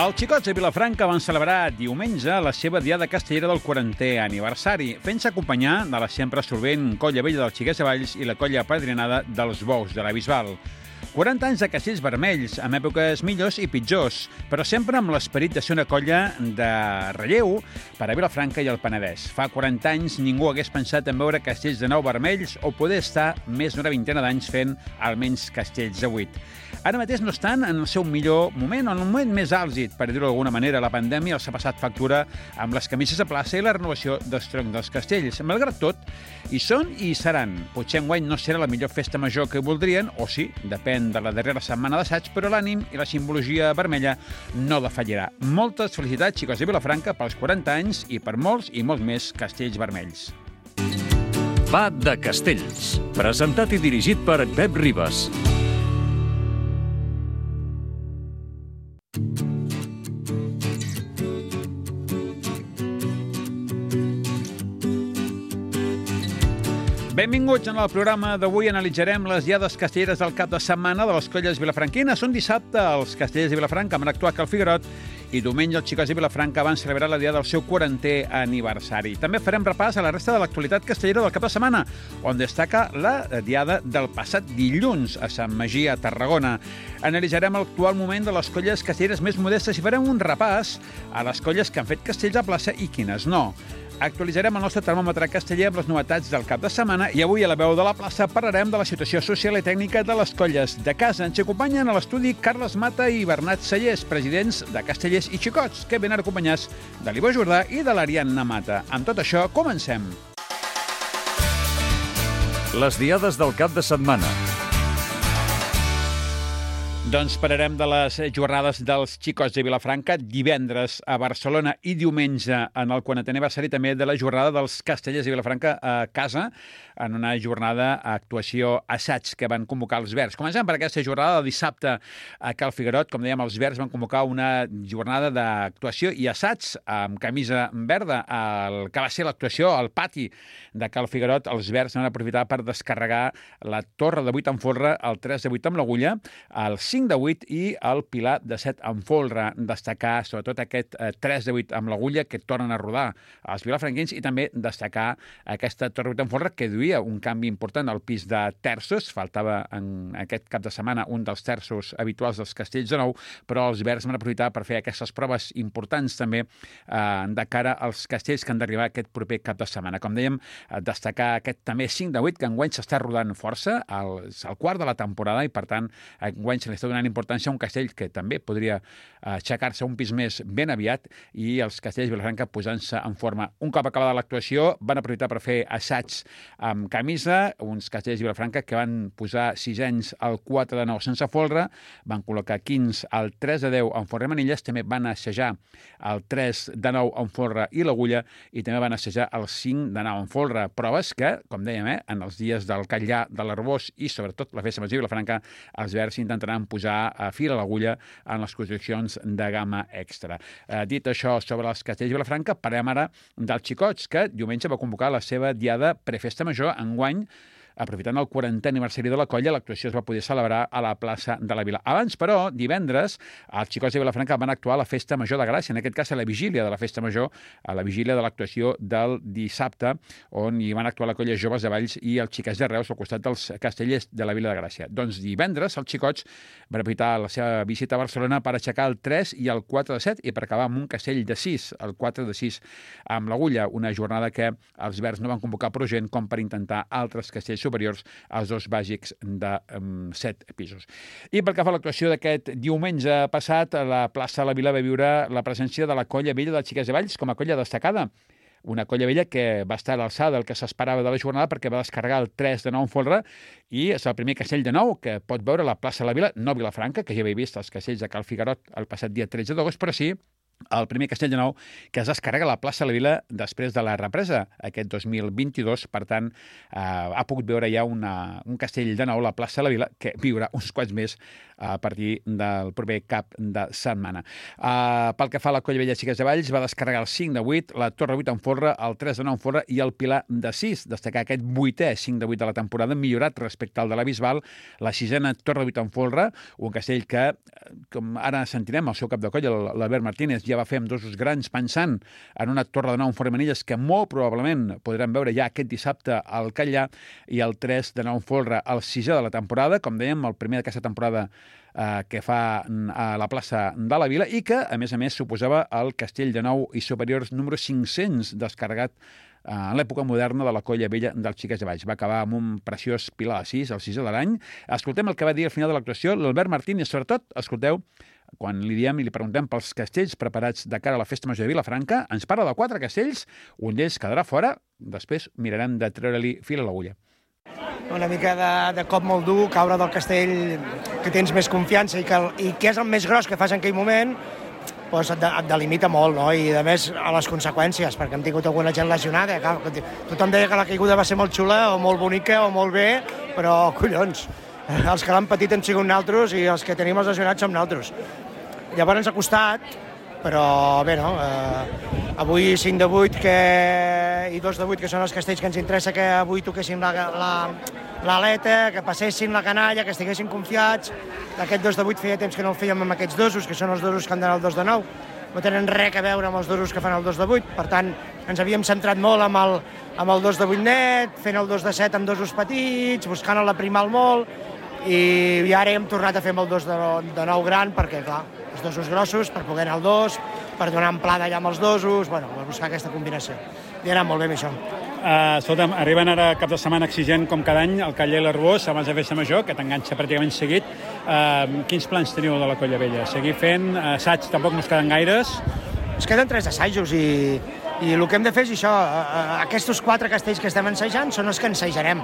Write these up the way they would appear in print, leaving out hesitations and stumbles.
Els xicots de Vilafranca van celebrar diumenge la seva diada castellera del 40è aniversari, fent-se acompanyar de la sempre solvent Colla Vella dels Xiquets de Valls i la colla apadrinada dels Bous de la Bisbal. 40 anys de castells vermells, amb èpoques millors i pitjors, però sempre amb l'esperit de ser una colla de relleu per a Vilafranca i el Penedès. Fa 40 anys ningú hagués pensat en veure castells de nou vermells o poder estar més d'una vintena d'anys fent almenys castells de 8. Ara mateix no estan en el seu millor moment, o en el moment més àlgid, per dir-ho d'alguna manera. La pandèmia els ha passat factura amb les camises a plaça i la renovació dels troncs dels castells. Malgrat tot, hi són i hi seran. Potser enguany no serà la millor festa major que voldrien, o sí, depèn de la darrera setmana d'assaig, però l'ànim i la simbologia vermella no defallirà. Moltes felicitats, xicots de Vilafranca, pels 40 anys i per molts i molts més castells vermells. Va de Castells, presentat i dirigit per Pep Ribas. Benvinguts en el programa d'avui. Analitzarem les diades castelleres del cap de setmana de les colles vilafranquines. Un dissabte els castellers de Vilafranca van actuar a Cal Figuerot i diumenge els xicots de Vilafranca van celebrar la diada del seu 40è aniversari. També farem repàs a la resta de l'actualitat castellera del cap de setmana, on destaca la diada del passat dilluns a Sant Magí, a Tarragona. Analitzarem l'actual moment de les colles castelleres més modestes i farem un repàs a les colles que han fet castells a plaça i quines no. Actualitzarem el nostre termòmetre casteller amb les novetats del cap de setmana i avui a la veu de la plaça parlarem de la situació social i tècnica de les colles de casa. Ens acompanyen a l'estudi Carles Mata i Bernat Sallés, presidents de Castellers i Xicots, que venen acompanyats de l'Ivo Jordà i de l'Ariadna Mata. Amb tot això, comencem. Les diades del cap de setmana. Doncs parlarem de les jornades dels xicots de Vilafranca, divendres a Barcelona i diumenge en el 40è aniversari, també de la jornada dels castellers de Vilafranca a casa, en una jornada a actuació assaig que van convocar els Verds. Comencem per aquesta jornada del dissabte a Cal Figuerot. Com dèiem, els Verds van convocar una jornada d'actuació i assaig amb camisa verda. El que va ser l'actuació al pati de Cal Figuerot, els Verds van aprofitar per descarregar la torre de 8 en folre, el 3 de 8 amb l'agulla, el 5 de 8 i el pilar de 7 en folre. Destacar sobretot aquest 3 de 8 amb l'agulla que tornen a rodar els vilafranquins i també destacar aquesta torre de 8 en folre que duia un canvi important al pis de terços. Faltava en aquest cap de setmana un dels terços habituals dels castells de nou, però els Verds van aprofitar per fer aquestes proves importants també de cara als castells que han d'arribar aquest proper cap de setmana. Com dèiem, destacar aquest també 5 de 8 que enguany s'està rodant força, el quart de la temporada, i per tant enguany se li està donant importància a un castell que també podria aixecar-se un pis més ben aviat, i els castells de Vilafranca posant-se en forma. Un cop acabada l'actuació van aprofitar per fer assaigs amb camisa, uns castells de Vilafranca que van posar 6 anys al 4 de 9 sense folre, van col·locar 15 al 3 de 10 en folre i manilles, també van assajar el 3 de 9 en folre i l'agulla, i també van assajar el 5 de 9 en folre. Proves que, com dèiem, en els dies del Catllà, de l'Arbós i sobretot la festa major de Vilafranca, els Verds intentaran posar a fil a l'agulla en les construccions de gamma extra. Dit això sobre els castells de Vilafranca, parlem ara dels xicots, que diumenge va convocar la seva diada prefesta major. Enguany, aprofitant el 40è aniversari de la colla, l'actuació es va poder celebrar a la plaça de la Vila. Abans, però, divendres, els xicots de Vilafranca van actuar a la Festa Major de Gràcia, en aquest cas a la vigília de la Festa Major, a la vigília de l'actuació del dissabte, on hi van actuar la colla Joves de Valls i els xiquets de Reus al costat dels castellers de la Vila de Gràcia. Doncs divendres els xicots van aprofitar la seva visita a Barcelona per aixecar el 3 i el 4 de 7 i per acabar amb un castell de 6, el 4 de 6 amb l'agulla, una jornada que els Verds no van convocar prou gent com per intentar altres castells superiors als dos bàsics de 7 pisos. I pel que fa a l'actuació d'aquest diumenge passat, a la plaça de la Vila va viure la presència de la Colla Vella dels Xiquets de Valls com a colla destacada. Una colla vella que va estar a l'alçada del que s'esperava de la jornada perquè va descarregar el 3 de 9 en folre i és el primer castell de nou que pot veure la plaça de la Vila, no Vilafranca, que ja havia vist els castells de Cal Figuerot el passat dia 13 d'agost, però sí el primer castell de nou que es descarrega a la plaça de la Vila després de la represa aquest 2022. Per tant, ha pogut veure ja un castell de nou a la plaça de la Vila que viurà uns quants més a partir del proper cap de setmana. Pel que fa a la Colla Vella Xiques de Valls, va descarregar el 5 de 8, la Torre 8 en folre, el 3 de 9 en folre i el Pilar de 6. Destacar aquest 8è 5 de 8 de la temporada, millorat respecte al de la Bisbal, la 6a Torre 8 en folre, un castell que, com ara sentirem, el seu cap de colla, l'Albert Martínez, ja va fer amb dosos grans pensant en una Torre de 9 en folre Manilles que molt probablement podrem veure ja aquest dissabte al Catllà, i el 3 de 9 en folre, el 6è de la temporada, com dèiem, el primer d'aquesta temporada que fa a la plaça de la Vila, i que, a més, suposava el castell de nou i superiors número 500 descarregat en l'època moderna de la Colla Vella dels Xiques de Valls. Va acabar amb un preciós Pilar de 6, el 6è de l'any. Escoltem el que va dir al final de l'actuació l'Albert Martínez. Sobretot, escolteu, quan li diem i li preguntem pels castells preparats de cara a la Festa Major de Vilafranca, ens parla de 4 castells, un d'ells quedarà fora, després mirarem de treure-li fil a l'agulla. Una mica de cop molt dur, caure del castell que tens més confiança i que és el més gros que fas en aquell moment, doncs et delimita molt, no? I a més a les conseqüències, perquè hem tingut alguna gent lesionada. Tothom deia que la caiguda va ser molt xula o molt bonica o molt bé, però collons, els que l'han patit han sigut naltros i els que tenim els lesionats som naltros. Llavors ens ha costat, però bé, no? Avui 5 de 8 i 2 de 8, que són els castells que ens interessa que avui toquessin l'aleta, que passessin la canalla, que estiguessin confiats. Aquest 2 de 8 feia temps que no el fèiem amb aquests dosos, que són els dosos que han d'anar al 2 de 9. No tenen res a veure amb els dosos que fan el 2 de 8, per tant, ens havíem centrat molt amb el 2 de 8 net, fent el 2 de 7 amb dosos petits, buscant la primal molt, i ara hem tornat a fer amb el 2 de 9 gran, perquè, clar, els dosos grossos, per poder anar al 2, per donar amplada ja amb els dosos, bueno, per buscar aquesta combinació. I ha anat molt bé amb això. Escolta'm, arriben ara cap de setmana exigent com cada any el Catllà i l'Arbós abans de Festa Major, que t'enganxa pràcticament seguit. Quins plans teniu de la Colla Vella? Seguir fent assaigs, tampoc no es queden gaires? Es queden 3 assajos i el que hem de fer és això. Aquests 4 castells que estem ensajant són els que ensajarem.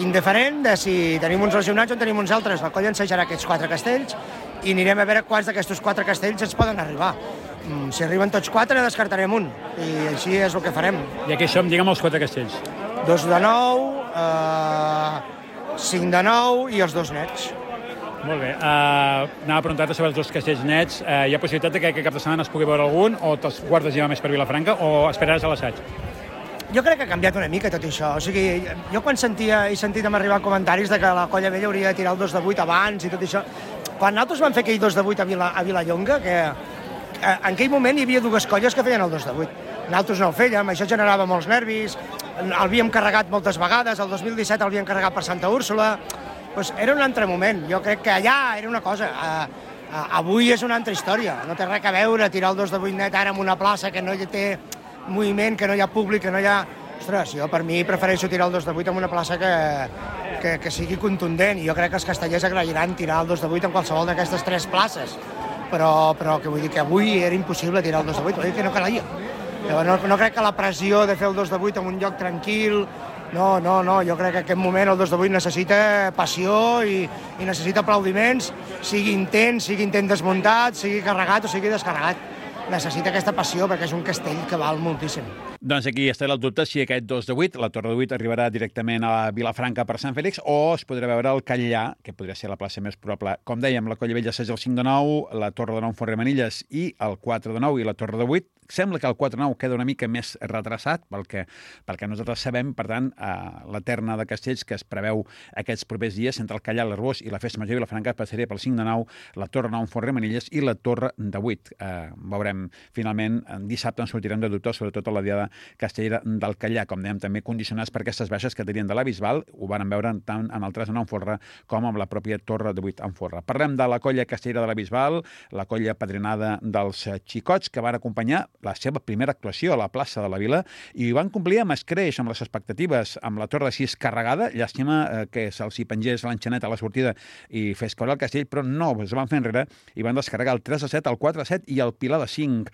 Indiferent de si tenim uns lesionats o tenim uns altres. La colla ensajarà aquests 4 castells i anirem a veure quants d'aquests 4 castells ens poden arribar. Si arriben tots 4, descartarem un. I així és el que farem. I aquí som, digue'm els 4 castells. 2 de 9, 5 de 9 i els 2 nets. Molt bé. Anava a preguntar-te sobre els 2 castells nets. Hi ha possibilitat que cap de setmana es pugui veure algun, o te'ls guardes ja més per Vilafranca, o esperaràs a l'assaig? Jo crec que ha canviat una mica tot això. O sigui, jo quan he sentit m'arribar comentaris de que la Colla Vella hauria de tirar el 2 de 8 abans i tot això, quan nosaltres vam fer aquell 2 de 8 a Vilallonga, que en aquell moment hi havia 2 colles que feien el 2 de 8. Nosaltres no el fèiem, això generava molts nervis, l'havíem carregat moltes vegades, el 2017 l'havíem carregat per Santa Úrsula, doncs era un altre moment. Jo crec que allà era una cosa, avui és una altra història, no té res a veure tirar el 2 de 8 net ara en una plaça que no hi té moviment, que no hi ha públic, que no hi ha... Ostres, jo per mi prefereixo tirar el 2 de 8 en una plaça que sigui contundent, i jo crec que els castellers agrairan tirar el 2 de 8 en qualsevol d'aquestes 3 places, però que vull dir que avui era impossible tirar el 2 de 8, vull dir que no calia. No crec que la pressió de fer el 2 de 8 en un lloc tranquil, no, jo crec que en aquest moment el 2 de 8 necessita passió i necessita aplaudiments, sigui intent desmuntat, sigui carregat o sigui descarregat. Necessita aquesta passió perquè és un castell que val moltíssim. Doncs aquí està el dubte si aquest 2 de 8, la Torre de 8, arribarà directament a Vilafranca per Sant Fèlix, o es podrà veure al Catllà, que podria ser la plaça més probable. Com dèiem, la Colla Vella és el 5 de 9, la Torre de 9 Forre Manilles i el 4 de 9 i la Torre de 8. Sembla que el 4 de 9 queda una mica més retrasat pel que nosaltres sabem. Per tant, la terna de castells que es preveu aquests propers dies entre el Catllà, l'Arbós i la Festa Major de Vilafranca passaria pel 5 de 9, la Torre de 9 Forre Manilles i la Torre de 8. Veurem, finalment, dissabte ens sortirem de dubte, sobretot a la diada castellera del Catllà, com dèiem, també condicionats per aquestes baixes que tenien de la Bisbal. Ho van veure tant en el 3 de 9 en Forre com amb la pròpia Torre de 8 en Forre. Parlem de la colla castellera de la Bisbal, la colla padrinada dels Xicots, que van acompanyar la seva primera actuació a la plaça de la Vila i van complir amb escreix, amb les expectatives, amb la Torre de 6 carregada. Llàstima que se'ls hi pengés l'enxaneta a la sortida i fes caure el castell, però no, es van fer enrere i van descarregar el 3 de 7, el 4 de 7 i el Pilar de 5.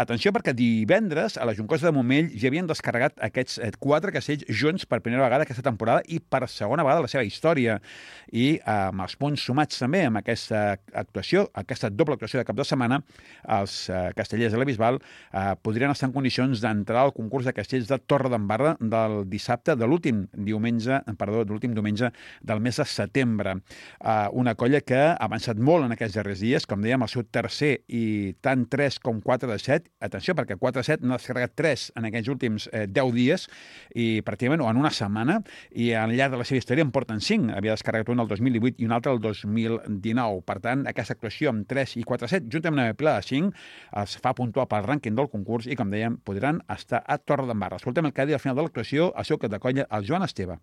Atenció, perquè divendres a la Juncosa de Montmell Castell ja havien descarregat aquests 4 castells junts per primera vegada aquesta temporada i per segona vegada a la seva història. I amb els punts sumats també amb aquesta actuació, aquesta doble actuació de cap de setmana, els castellers de la Bisbal podrien estar en condicions d'entrar al concurs de castells de Torredembarra del dissabte de l'últim diumenge del mes de setembre. Una colla que ha avançat molt en aquests darrers dies, com dèiem, el seu tercer i tant 3 com 4 de 7. Atenció, perquè 4 de 7 n'ha descarregat 3 en aquests últims 10 dies i pràcticament en una setmana, i al llarg de la seva història en porten 5. Havia descarregat un el 2018 i un altre el 2019. Per tant, aquesta actuació amb 3 i 4 de 7, juntament amb una pila de 5, els fa puntuar pel rànquing del concurs i, com dèiem, podran estar a Torredembarra. Escoltem el que ha dit al final de l'actuació el seu cap de colla, el Joan Esteve.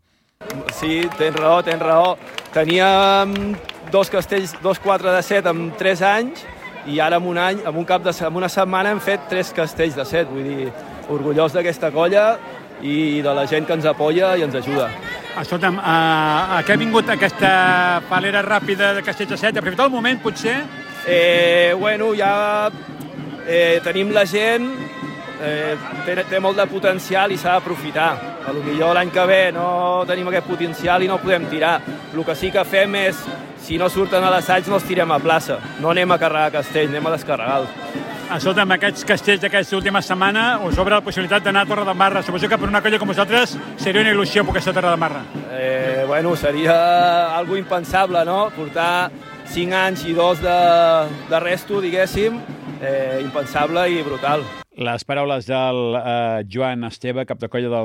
Sí, tens raó. Teníem 2 castells, 2 4 de 7 en 3 anys, i ara en una setmana hem fet 3 castells de 7. Vull dir, orgullós d'aquesta colla i de la gent que ens apoya i ens ajuda. Escolta'm, a què ha vingut aquesta palera ràpida de castells de 7? Aprofitar el moment, potser? Ja tenim la gent, té molt de potencial i s'ha d'aprofitar. Potser l'any que ve no tenim aquest potencial i no podem tirar. El que sí que fem és, si no surten a l'assaig, no els tirem a plaça. No anem a carregar castells, anem a descarregar-los. Escolta'm, aquests castells d'aquesta última setmana us obre la possibilitat d'anar a Torredembarra. Suposo que per una colla com vosaltres seria una il·lusió poder estar a Torredembarra. Seria algo impensable, no? Portar 5 anys i 2 de resto, diguéssim, impensable i brutal. Les paraules del Joan Esteve, cap de colla de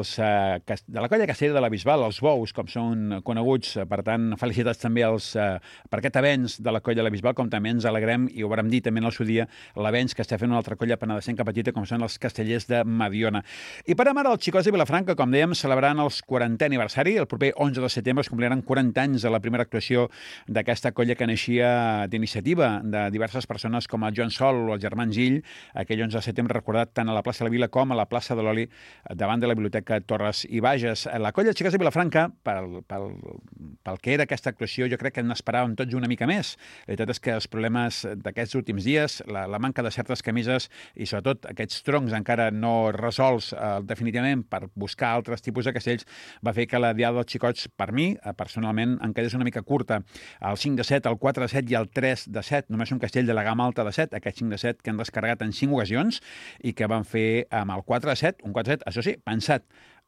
la colla castellera de la Bisbal, els Bous, com són coneguts. Per tant, felicitats també per aquest avenç de la colla de la Bisbal, com també ens alegrem, i ho vam dir també en el seu dia, l'avenç que està fent una altra colla penedesenca petita, com són els castellers de Mediona. I per ara, els xicots de Vilafranca, com dèiem, celebraran el 40è aniversari. El proper 11 de setembre es compliran 40 anys de la primera actuació d'aquesta colla que naixia d'iniciativa de diverses persones com el Joan Sol o el germà Gill, aquell 11 de setembre recordat tant a la plaça de la Vila com a la plaça de l'Oli davant de la Biblioteca Torres i Bages. La colla de xicots de Vilafranca, pel que era aquesta actuació, jo crec que n'esperàvem tots una mica més. La veritat és que els problemes d'aquests últims dies, la manca de certes camises i sobretot aquests troncs encara no resolts definitivament per buscar altres tipus de castells, va fer que la diada dels xicots, per mi, personalment, em quedés una mica curta. El 5 de 7, el 4 de 7 i el 3 de 7, només un castell de la gamma alta de 7, aquest 5 de 7 que han descarregat en 5 ocasions i que van fer amb el 4 de 7, un 4 de 7, això sí, pensat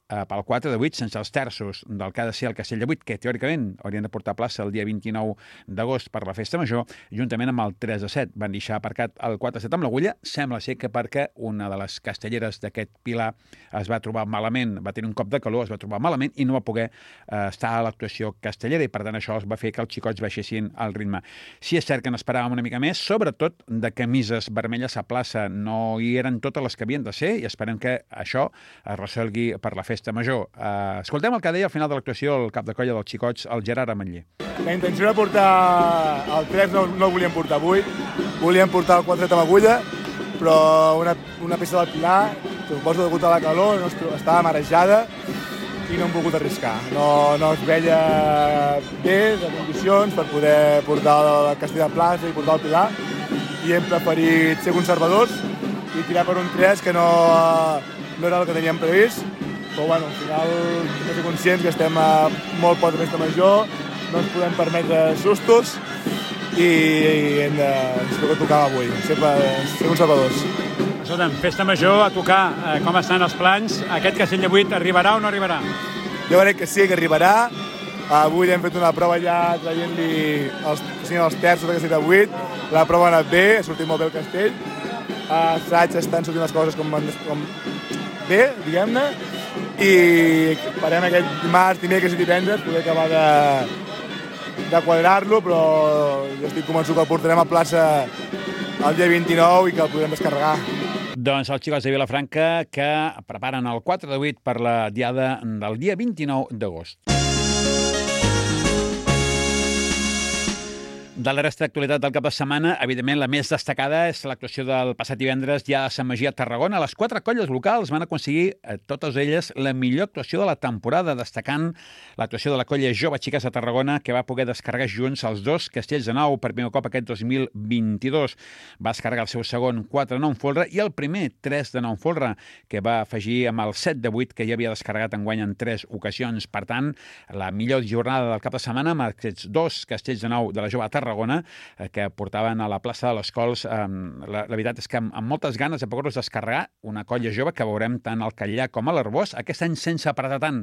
pel 4 de 8, sense els terços del que ha de ser el castell de 8, que teòricament haurien de portar plaça el dia 29 d'agost per la festa major, juntament amb el 3 de 7. Van deixar aparcat el 4 de 7 amb l'agulla, sembla ser que perquè una de les castelleres d'aquest pilar es va trobar malament, va tenir un cop de calor, es va trobar malament i no va poder estar a l'actuació castellera, i per tant això va fer que els xicots baixessin el ritme. Sí, és cert que n'esperàvem una mica més, sobretot de camises vermelles a plaça. No hi eren totes les que havien de ser i esperem que això es resolgui per la festa major. Escoltem el que deia al final de l'actuació el cap de colla dels xicots, el Gerard Ametller. La intenció de portar el 3 no el volíem portar avui, volíem portar el 4 amb agulla, però una peça del pilar, suposo degut a la calor, estava marejada i no hem volgut arriscar. No es veia bé de condicions per poder portar el castell de plaça i portar el pilar, i hem preferit ser conservadors i tirar per un 3 que no era el que teníem previst. Però al final hem de ser conscients que estem a molt poc de festa major, no ens podem permetre sustos i ens tocar avui, sempre ser conservadors. Escolta'm, festa major a tocar, com estan els plans? Aquest castell de 8 arribarà o no arribarà? Jo crec que sí, que arribarà. Avui hem fet una prova ja traient-li els terços de castell de 8. La prova ha anat bé, ha sortit molt bé el castell. A assaig estan sortint les coses com bé, diguem-ne. I farem aquest dimarts, dimecres i divendres, poder acabar de quadrar-lo, però jo estic convençut que el portarem a plaça el dia 29 i que el podrem descarregar. Doncs els xicots de Vilafranca que preparen el 4 de 8 per la diada del dia 29 d'agost. De la resta d'actualitat del cap de setmana, evidentment, la més destacada és l'actuació del passat divendres ja a Sant Magí a Tarragona. Les 4 colles locals van aconseguir, totes elles, la millor actuació de la temporada, destacant l'actuació de la colla Jove Xiques de Tarragona, que va poder descarregar junts els 2 castells de nou per primer cop aquest 2022. Va descarregar el seu segon 4 de 9 en folre i el primer 3 de 9 en folre, que va afegir amb el 7 de 8 que ja havia descarregat enguany en 3 ocasions. Per tant, la millor jornada del cap de setmana amb aquests 2 castells de nou de la Jove a Tarragona, que portaven a la plaça de les Cols. La veritat és que amb moltes ganes de poder-los descarregar, una colla jove que veurem tant al Catllà com a l'Arbós, aquest any sense apretar tant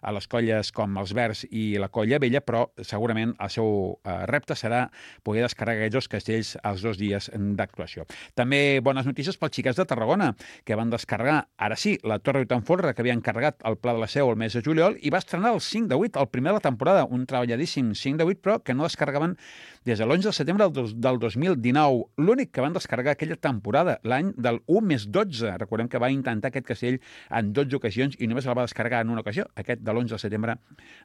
a les colles com els Verds i la Colla Vella, però segurament el seu repte serà poder descarregar aquests 2 castells els 2 dies d'actuació. També bones notícies pels Xiques de Tarragona, que van descarregar, ara sí, la Torre de Folre, que havien carregat al Pla de la Seu el mes de juliol, i va estrenar el 5 de 8, el primer de la temporada, un treballadíssim 5 de 8, però que no descarregaven des de l'11 de setembre del 2019. L'únic que van descarregar aquella temporada, l'any del 1+12. Recordem que va intentar aquest castell en 12 ocasions i només el va descarregar en una ocasió, aquest de l'11 de setembre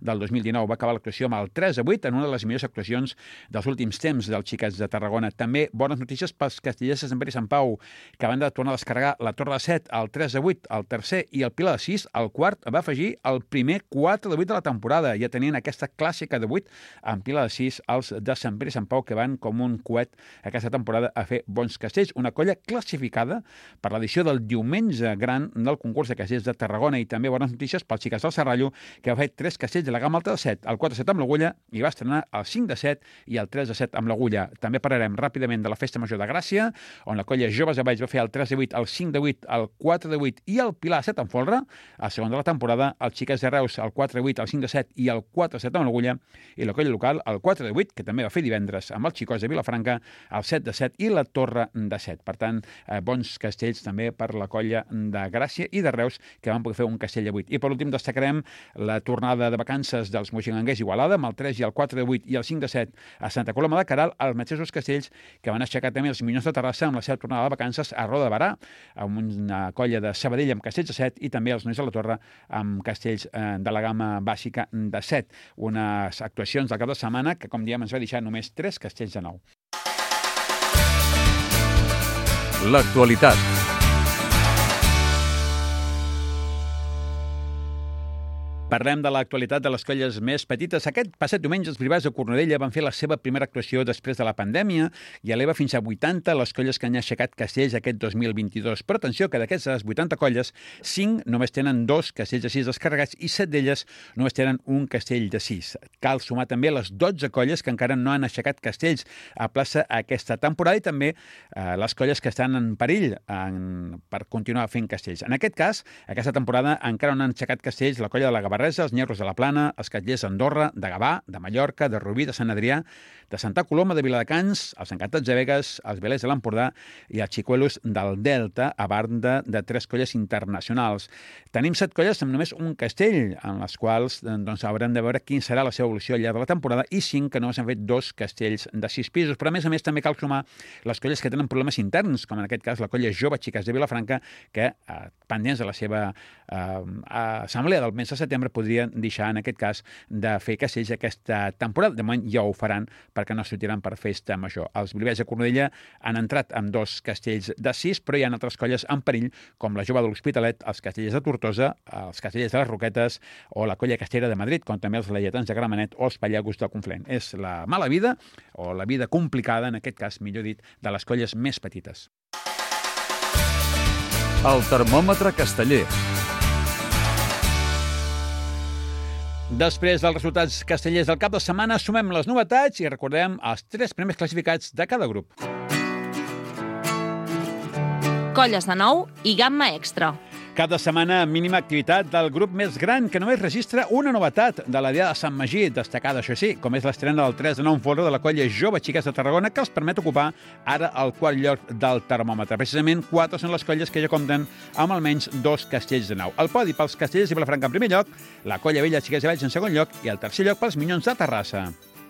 del 2019. Va acabar l'actuació amb el 3 de 8, en una de les millors actuacions dels últims temps dels Xiques de Tarragona. També bones notícies pels castellers de Sant Pere i Sant Pau, que van de tornar a descarregar la Torre de 7, el 3 de 8, el tercer i el Pilar de 6. El quart va afegir el primer 4 de 8 de la temporada. Ja tenien aquesta clàssica de 8 en Pilar de 6, els de Sant Pere i Sant Pau, que van com un coet aquesta temporada a fer bons castells. Una colla classificada per l'edició del diumenge gran del concurs de castells de Tarragona. I també bones notícies pels Xiques del Serrallo, que va fer 3 castells de la gamma alta de 7, el 4 de 7 amb l'agulla, i va estrenar el 5 de 7 i el 3 de 7 amb l'agulla. També parlarem ràpidament de la Festa Major de Gràcia, on la colla Joves de Valls va fer el 3 de 8, el 5 de 8, el 4 de 8 i el Pilar 7 en folre. El segon de la temporada, els Xiques de Reus, el 4 de 8, el 5 de 7 i el 4 de 7 amb l'agulla, i la colla local, el 4 de 8, que també va fer divendres amb els Xicos de Vilafranca, el 7 de 7 i la Torre de 7. Per tant, bons castells també per la colla de Gràcia i de Reus, que van poder fer un castell de 8. I per últim destacarem la tornada de vacances dels moixinganguers Igualada, amb el 3 i el 4 de 8 i el 5 de 7 a Santa Coloma de Queralt, els mateixos castells que van aixecar també els Minyons de Terrassa amb la seva tornada de vacances a Roda de Barà, amb una colla de Sabadell amb castells de 7 i també els Nois de la Torre amb castells de la gamma bàsica de 7. Unes actuacions del cap de setmana que, com diem, ens va deixar només 3 castells de 9. L'actualitat. Parlem de l'actualitat de les colles més petites. Aquest passat diumenge els Brivats de Cornudella van fer la seva primera actuació després de la pandèmia i eleva fins a 80 les colles que han aixecat castells aquest 2022. Però atenció, que d'aquestes 80 colles, 5 només tenen 2 castells de 6 descarregats i 7 d'elles només tenen un castell de 6. Cal sumar també les 12 colles que encara no han aixecat castells a plaça aquesta temporada i també les colles que estan en perill per continuar fent castells. En aquest cas, aquesta temporada encara no han aixecat castells la colla de la Gavarresa, els Nyerros de la Plana, els Catllers d'Andorra, de Gavà, de Mallorca, de Rubí, de Sant Adrià, de Santa Coloma, de Viladecans, els Encantats de Begues, els Velers de l'Empordà i els Xicuelos del Delta, a banda de 3 colles internacionals. Tenim 7 colles amb només un castell, en les quals haurem de veure quin serà la seva evolució al llarg de la temporada, i 5 que només han fet 2 castells de 6 pisos. Però, a més també cal sumar les colles que tenen problemes interns, com en aquest cas la colla Jove Xiques de Vilafranca, que, pendents de la seva assemblea del mes de setembre, podrien deixar, en aquest cas, de fer castells aquesta temporada. De moment ja ho faran, perquè no sortiran per festa major. Els Brivats de Cornudella han entrat amb 2 castells de 6, però hi ha altres colles en perill, com la Jove de l'Hospitalet, els Castellers de Tortosa, els Castellers de les Roquetes o la colla Castellera de Madrid, com també els Lleietans de Gramenet o els Pallagos del Conflent. És la mala vida, o la vida complicada, en aquest cas, millor dit, de les colles més petites. El termòmetre casteller. Després dels resultats castellers del cap de setmana, sumem les novetats i recordem els 3 primers classificats de cada grup. Colles de 9 i gamma extra. Cap de setmana, mínima activitat del grup més gran, que només registra una novetat de la Diada de Sant Magí, destacada, això sí, com és l'estrena del 3 de 9 en folre de la colla Jove Xiques de Tarragona, que els permet ocupar ara el quart lloc del termòmetre. Precisament, 4 són les colles que ja compten amb almenys 2 castells de 9. El podi pels Castellers de Vilafranca en primer lloc, la colla Vella Xiques de Valls en segon lloc i el tercer lloc pels Minyons de Terrassa.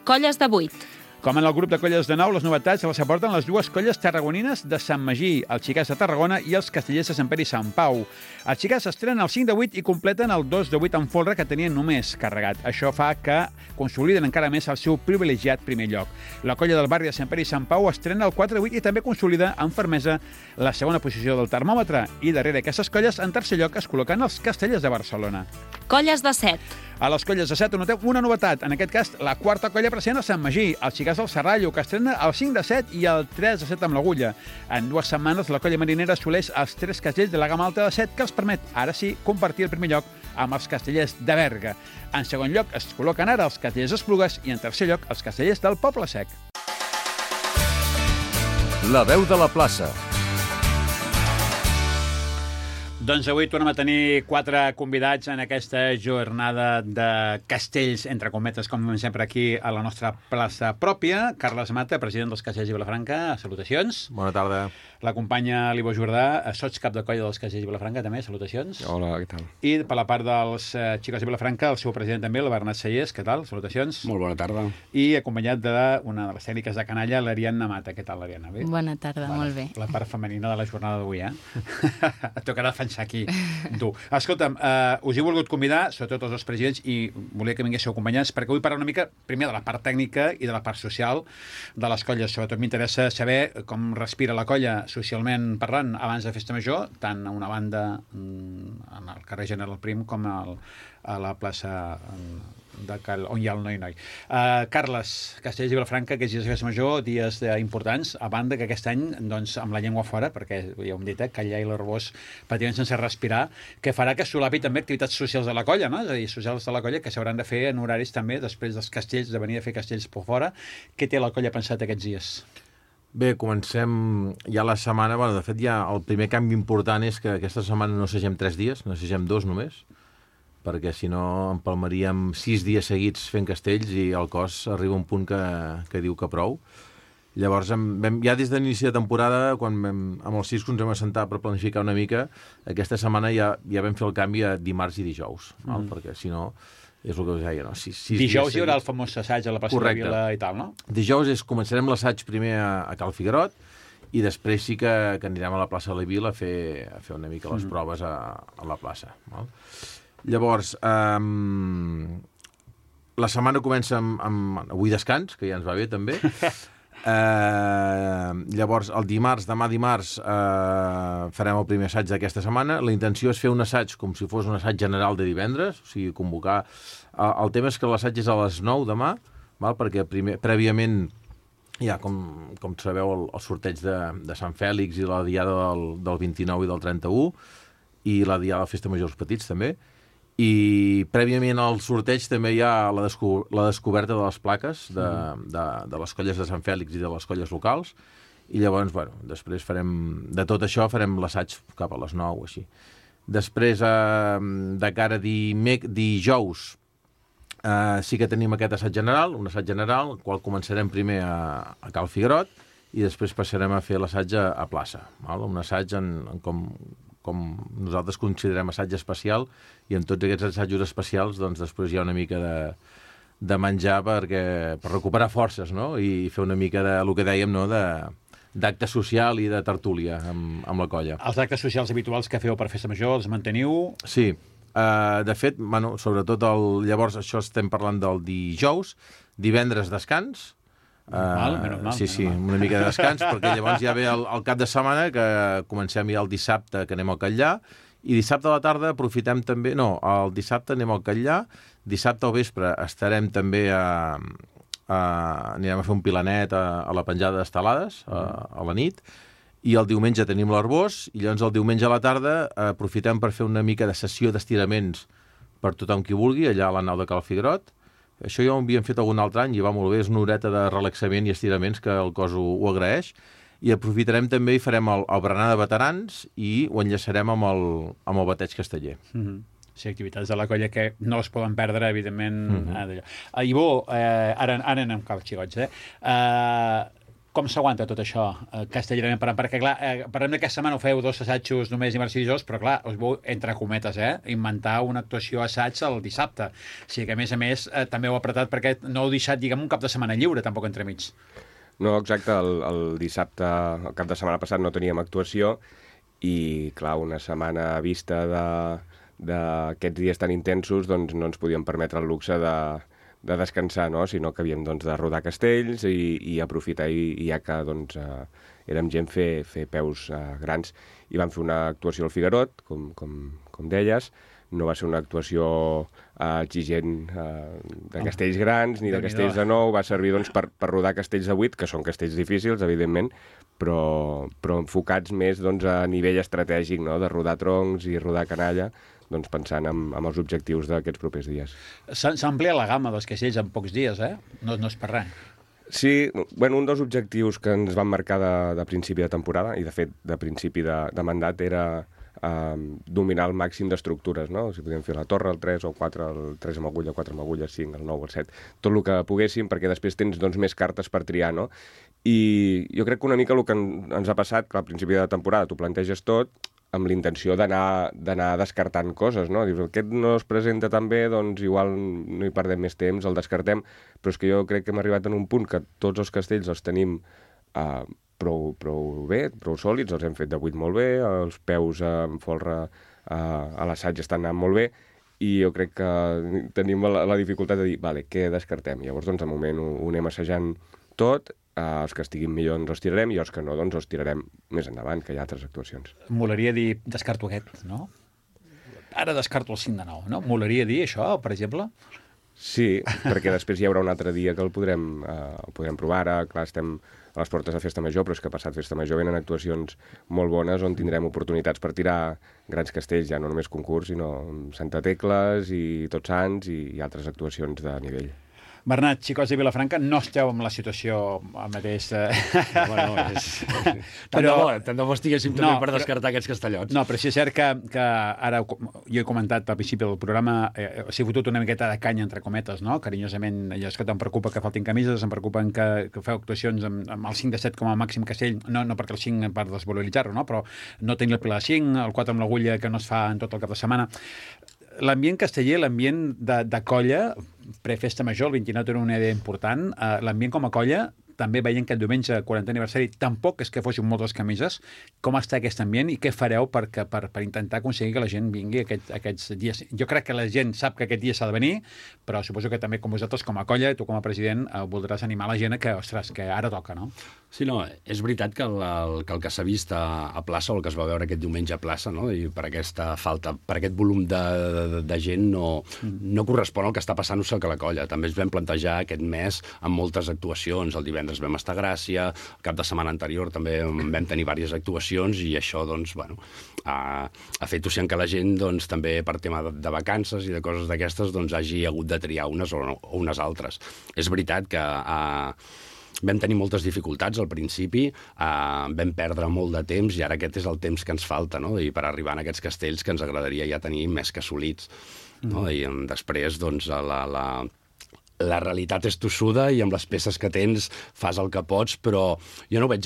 Colles de 8. Com en el grup de colles de Nou, les novetats les aporten les dues colles tarragonines de Sant Magí, els Xicars de Tarragona i els Castellers de Sant Pere i Sant Pau. Els Xicars estrenen el 5 de 8 i completen el 2 de 8 en folre que tenien només carregat. Això fa que consoliden encara més el seu privilegiat primer lloc. La colla del barri de Sant Pere i Sant Pau estrena el 4 de 8 i també consolida amb fermesa la segona posició del termòmetre. I darrere aquestes colles, en tercer lloc, es col·loquen els Castellers de Barcelona. Colles de 7. A les colles de 7 notem una novetat, en aquest cas la quarta colla present a Sant Magí, els Xicars del Serrallo, que estrena el 5 de 7 i el 3 de 7 amb l'Agulla. En 2 setmanes la colla marinera assoleix els 3 castells de la gamma alta de 7 que els permet, ara sí, compartir el primer lloc amb els Castellers de Berga. En segon lloc es col·loquen ara els Castellers d'Esplugues i en tercer lloc els Castellers del Poble Sec. La veu de la plaça. Doncs avui tornem a tenir 4 convidats en aquesta jornada de castells, entre cometes, com sempre aquí a la nostra plaça pròpia. Carles Mata, president dels Castells de Vilafranca, salutacions. Bona tarda. La companya Libo Jordà, sots cap de colla dels Castells de Vilafranca, també, salutacions. Hola, què tal? I per la part dels Xicos de Vilafranca, el seu president també, el Bernat Sallés, què tal? Salutacions. Molt bona tarda. I acompanyat d'una de les tècniques de canalla, l'Ariadna Mata. Què tal, l'Ariadna? Bé? Bona tarda, molt bé. La part femenina de la jornada d'avui, Et tocarà defensar aquí. Tu. Escolta'm, us he volgut convidar, sobretot els dos presidents, i volia que vinguéssiu acompanyats, perquè vull parlar una mica, primer, de la part tècnica i de la part social de les colles. Sobretot m'interessa saber com respira la colla socialment parlant abans de Festa Major, tant a una banda en el carrer General Prim com a la plaça on hi ha el Noi-Noi. Carles, Castells i Vilafranca, aquests dies de Festa Major, dies importants, a banda que aquest any, doncs, amb la llengua fora, perquè ja ho hem dit, Callà i l'Arbós pràcticament sense respirar, que farà que solapi també activitats socials de la colla, no? És a dir, socials de la colla que s'hauran de fer en horaris també, després dels castells, de venir a fer castells per fora. Què té la colla pensat aquests dies? Bé, comencem ja la setmana. Bueno, de fet, ja el primer canvi important és que aquesta setmana no assagem 3 dies, no assagem 2 només, perquè si no empalmaríem 6 dies seguits fent castells i el cos arriba a un punt que diu que prou. Llavors, ja des de l'inici de temporada, quan amb els ciscos ens vam assentar per planificar una mica, aquesta setmana ja vam fer el canvi a dimarts i dijous, perquè si no, és el que us deia, no? Dijous hi haurà el famós assaig a la plaça de Vila i tal, no? Dijous començarem l'assaig primer a Cal Figuerot i després sí que anirem a la plaça de la Vila a fer una mica les proves a la plaça. Val? Llavors, la setmana comença amb avui descans, que ja ens va bé també. Llavors, demà dimarts, farem el primer assaig d'aquesta setmana. La intenció és fer un assaig com si fos un assaig general de divendres, o sigui, convocar... El tema és que l'assaig és a les 9 demà, val? Perquè prèviament hi ha, com sabeu, el sorteig de Sant Fèlix i la diada del 29 i del 31, i la diada de Festa Major als Petits també. I prèviament al sorteig també hi ha la descoberta de les plaques de les colles de Sant Fèlix i de les colles locals, i llavors, bueno, després de tot això farem l'assaig cap a les 9 o així. Després, de cara a dijous, sí que tenim aquest assaig general, un assaig general, el qual començarem primer a Cal Figuerot i després passarem a fer l'assaig a plaça. Val? Un assaig com nosaltres considerem assaig especial, i en tots aquests assajos especials doncs, després hi ha una mica de menjar per recuperar forces, no? I fer una mica el que dèiem, no? D'acte social i de tertúlia amb la colla. Els actes socials habituals que feu per Festa Major els manteniu? Sí. De fet, sobretot llavors això estem parlant del dijous, divendres descans, normal, sí, una mica de descans, perquè llavors ja ve el cap de setmana, que comencem ja el dissabte, que anem al Catllà, i dissabte a la tarda aprofitem també... No, el dissabte anem al Catllà, dissabte al vespre estarem també anirem a fer un pilanet a la penjada d'estelades, a la nit, i el diumenge tenim l'Arbós, i llavors el diumenge a la tarda aprofitem per fer una mica de sessió d'estiraments per tothom qui vulgui, allà a la nau de Cal Figuerot. Això ja ho havíem fet algun altre any i va molt bé, és una horeta de relaxament i estiraments que el cos ho agraeix, i aprofitarem també i farem el berenar de veterans i ho enllaçarem amb el bateig casteller. Sí, activitats de la colla que no es poden perdre, evidentment. Ivo, ara anem cap xicots, Com s'aguanta tot això, castellerament parlant? Perquè, clar, parlem d'aquesta setmana, ho feu 2 assajos només dimarts i dijous, però, clar, us vau, entre cometes, inventar una actuació assaig el dissabte. O sigui que, a més, també heu apretat perquè no heu deixat, diguem, un cap de setmana lliure, tampoc entremig. No, exacte, el dissabte, el cap de setmana passat no teníem actuació i, clar, una setmana a vista d'aquests dies tan intensos, doncs no ens podíem permetre el luxe de descansar, no? Sinó que havíem doncs, de rodar castells i aprofitar, i ja que doncs, érem gent fer peus grans. I vam fer una actuació al Figuerot, com deies. No va ser una actuació exigent de castells grans ni de castells de 9, va servir doncs, per rodar castells de 8, que són castells difícils, evidentment, però enfocats més doncs, a nivell estratègic, no? De rodar troncs i rodar canalla, doncs, pensant en els objectius d'aquests propers dies. S'ha ampliat la gamma dels castells en pocs dies, No és per res. Sí, bueno, un dels objectius que ens van marcar de principi de temporada, i de fet de principi de mandat, era dominar el màxim d'estructures, no? Si podíem fer la torre, el 3 o 4, el 3 amb agulla, 4 amb agulla, 5, el 9, el 7, tot el que poguéssim, perquè després tens doncs, més cartes per triar, no? I jo crec que una mica el que ens ha passat, que al principi de temporada tu planteges tot, amb l'intenció d'anar descartant coses, no? Dius, aquest no es presenta tan bé, doncs igual no hi perdem més temps, el descartem, però és que jo crec que hem arribat en un punt que tots els castells els tenim prou bé, prou sòlids, els hem fet de 8 molt bé, els peus en folre a l'assaig estan anant molt bé, i jo crec que tenim la dificultat de dir, vale, què descartem? Llavors, doncs, de moment ho anem assajant tot, els que estiguin millor ens els tirarem i els que no, doncs els tirarem més endavant, que hi ha altres actuacions. Molaria dir, descarto aquest, no? Ara descarto el 5 de 9, no? Molaria dir això, per exemple? Sí, perquè després hi haurà un altre dia que el podrem provar. Ara, clar, estem a les portes de Festa Major, però és que passat Festa Major venen actuacions molt bones on tindrem oportunitats per tirar grans castells, ja no només concurs, sinó Santa Tecles i Tots Sants i altres actuacions de nivell. Bernat, xicots de Vilafranca, no esteu en la situació al mateix... Bueno, tant de bo estiguéssim també per descartar aquests castellots. No, però sí és cert que ara, jo he comentat al principi del programa, s'ha fotut una miqueta de canya, entre cometes, no? Carinyosament, allò és que em preocupa que faltin camises, em preocupen que feu actuacions amb el 5 de 7 com a màxim castell, no perquè el 5 per desvaloritzar-ho, no? Però no tenir el pilar de 5, el 4 amb l'agulla que no es fa en tot el cap de setmana. L'ambient casteller, l'ambient de colla, pre-festa major, el 29 era una idea important, l'ambient com a colla, també veient que el diumenge, 40 aniversari, tampoc és que fossin moltes camises. Com està aquest ambient i què fareu per intentar aconseguir que la gent vingui aquests dies? Jo crec que la gent sap que aquest dia s'ha de venir, però suposo que també com vosaltres, com a colla, tu com a president, voldràs animar la gent que, ostres, que ara toca, no? Sí, no, és veritat que el que s'ha vist a plaça, o el que es va veure aquest diumenge a plaça, no? I per aquesta falta, per aquest volum de gent no correspon al que està passant-se a la colla. També ens vam plantejar aquest mes amb moltes actuacions. El divendres vam estar a Gràcia, el cap de setmana anterior també vam tenir diverses actuacions i això, doncs, bueno, ha fet que la gent, doncs, també per tema de vacances i de coses d'aquestes, doncs, hagi hagut de triar unes o unes altres. És veritat que vam tenir moltes dificultats al principi, vam perdre molt de temps i ara aquest és el temps que ens falta, no? I per arribar a aquests castells que ens agradaria ja tenir més que assolits. No? I després, doncs, la realitat és tossuda i amb les peces que tens fas el que pots, però jo no ho veig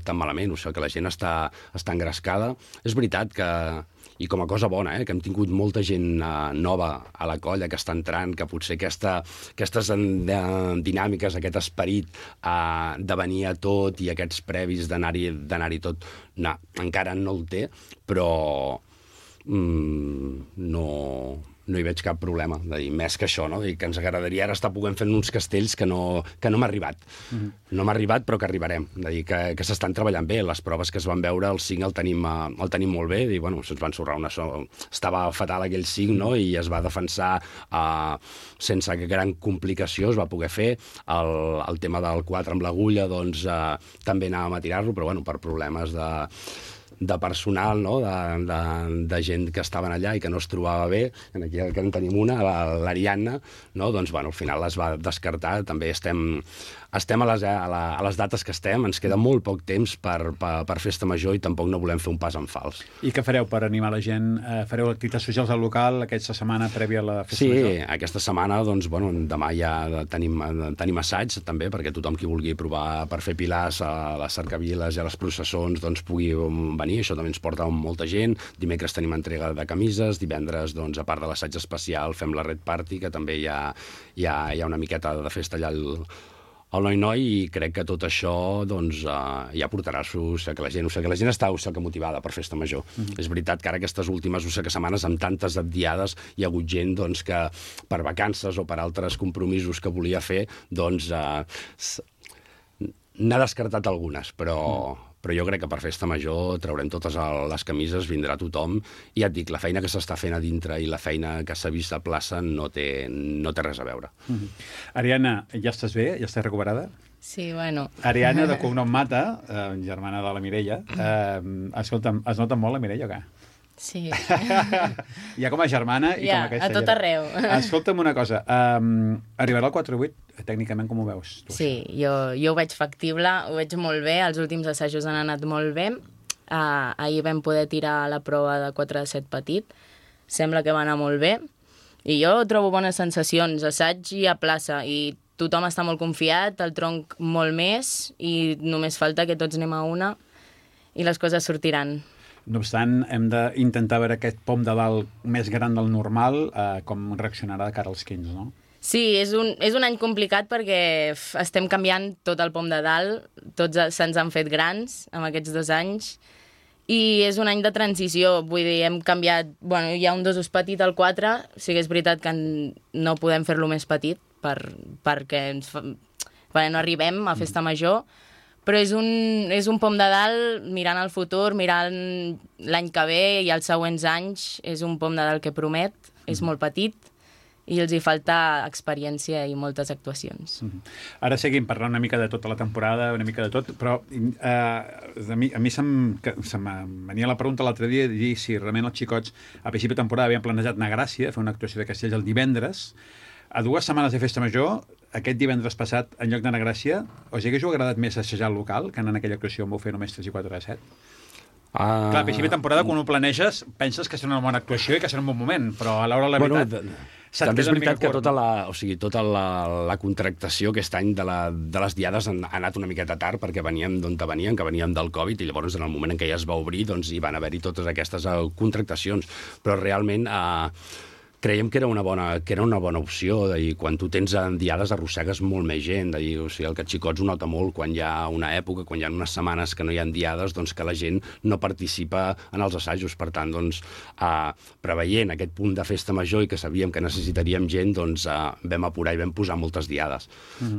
tan malament, o sigui, que la gent està engrescada. És veritat que, i com a cosa bona, que hem tingut molta gent nova a la colla que està entrant, que potser aquestes dinàmiques, aquest esperit de venir a tot i aquests previs d'anar-hi tot, encara no el té, però no hi veig cap problema, de dir, més que això, no? De dir que ens agradaria ara estar podent fer uns castells que no m'ha arribat. No m'ha arribat, però que arribarem. De dir que s'estan treballant bé. Les proves que es van veure, el 5 el tenim molt bé. I, bueno, se'ns va ensorrar estava fatal aquell 5, no? I es va defensar sense gran complicació, es va poder fer. El tema del 4 amb l'agulla, doncs, també anàvem a tirar-lo, però, bueno, per problemes de personal, no? de gent que estaven allà i que no es trobava bé. Aquí en tenim una, l'Ariadna, no? Doncs, bueno, al final es va descartar. També estem a les dates que estem, ens queda molt poc temps per festa major i tampoc no volem fer un pas en fals. I què fareu per animar la gent? Fareu activitats socials al local aquesta setmana prèvia a la festa major? Sí, aquesta setmana, doncs, bueno, demà ja tenim assaig, també, perquè tothom qui vulgui provar per fer pilars a les cercaviles i a les processons, doncs pugui venir. Això també ens porta molta gent. Dimecres tenim entrega de camises, divendres, doncs, a part de l'assaig especial, fem la Red Party, que també hi ha una miqueta de festa allà al Noi-Noi, i crec que tot això doncs, ja portarà que la gent està motivada per festa major. És veritat que ara aquestes últimes setmanes, amb tantes diades, hi ha hagut gent doncs, que per vacances o per altres compromisos que volia fer, doncs n'ha descartat algunes, però jo crec que per festa major traurem totes les camises, vindrà tothom, i ja et dic, la feina que s'està fent a dintre i la feina que s'ha vist a plaça no té res a veure. Ariadna, ja estàs bé? Ja estàs recuperada? Sí, bueno. Ariadna, de cognom Mata, germana de la Mireia. Escolta'm, es nota molt la Mireia o què? Sí. Ja com a germana i com aquesta... a tot arreu. Escolta'm una cosa, arribarà al 4-8, tècnicament com ho veus? Sí, jo ho veig factible, ho veig molt bé, els últims assajos han anat molt bé. Ahir vam poder tirar la prova de 4 de 7 petit, sembla que va anar molt bé, i jo trobo bones sensacions, assaig i a plaça, i tothom està molt confiat, el tronc molt més, i només falta que tots anem a una i les coses sortiran. No obstant, hem d'intentar veure aquest pom de dalt més gran del normal, com reaccionarà de cara als 15, no? Sí, és un any complicat perquè estem canviant tot el pom de dalt, tots se'ns han fet grans en aquests 2 anys, i és un any de transició, vull dir, hem canviat, bueno, hi ha un dosos petit al 4, sí que és veritat que no podem fer-lo més petit perquè no arribem a festa major, però és un pom de dalt mirant el futur, mirant l'any que ve i els següents anys, és un pom de dalt que promet, és molt petit i els hi falta experiència i moltes actuacions. Ara seguim parlant una mica de tota la temporada, una mica de tot, però a mi se'm venia la pregunta l'altre dia de dir si realment els xicots a principi de temporada havien planejat anar a Gràcia, fer una actuació de Castells el divendres. A 2 setmanes de festa major, aquest divendres passat, en lloc d'anar a Gràcia, us hagués agradat més assajar al local, que anar en aquella actuació on vau fer només 3 i 4 de 7? Clar, a principi de temporada, quan ho planeges, penses que serà una bona actuació i que serà un bon moment, però a l'hora de la veritat... També és veritat que tota la contractació aquest any de les diades ha anat una miqueta tard, perquè veníem d'on veníem, que veníem del Covid, i llavors en el moment en què ja es va obrir doncs hi van haver-hi totes aquestes contractacions. Però realment creiem que era una bona opció, i quan tu tens diades arrossegues molt més gent, o sigui, el que xicots ho nota molt quan hi ha una època, quan hi ha unes setmanes que no hi ha diades, doncs que la gent no participa en els assajos. Per tant, doncs, preveient aquest punt de festa major i que sabíem que necessitaríem gent, doncs vam apurar i vam posar moltes diades.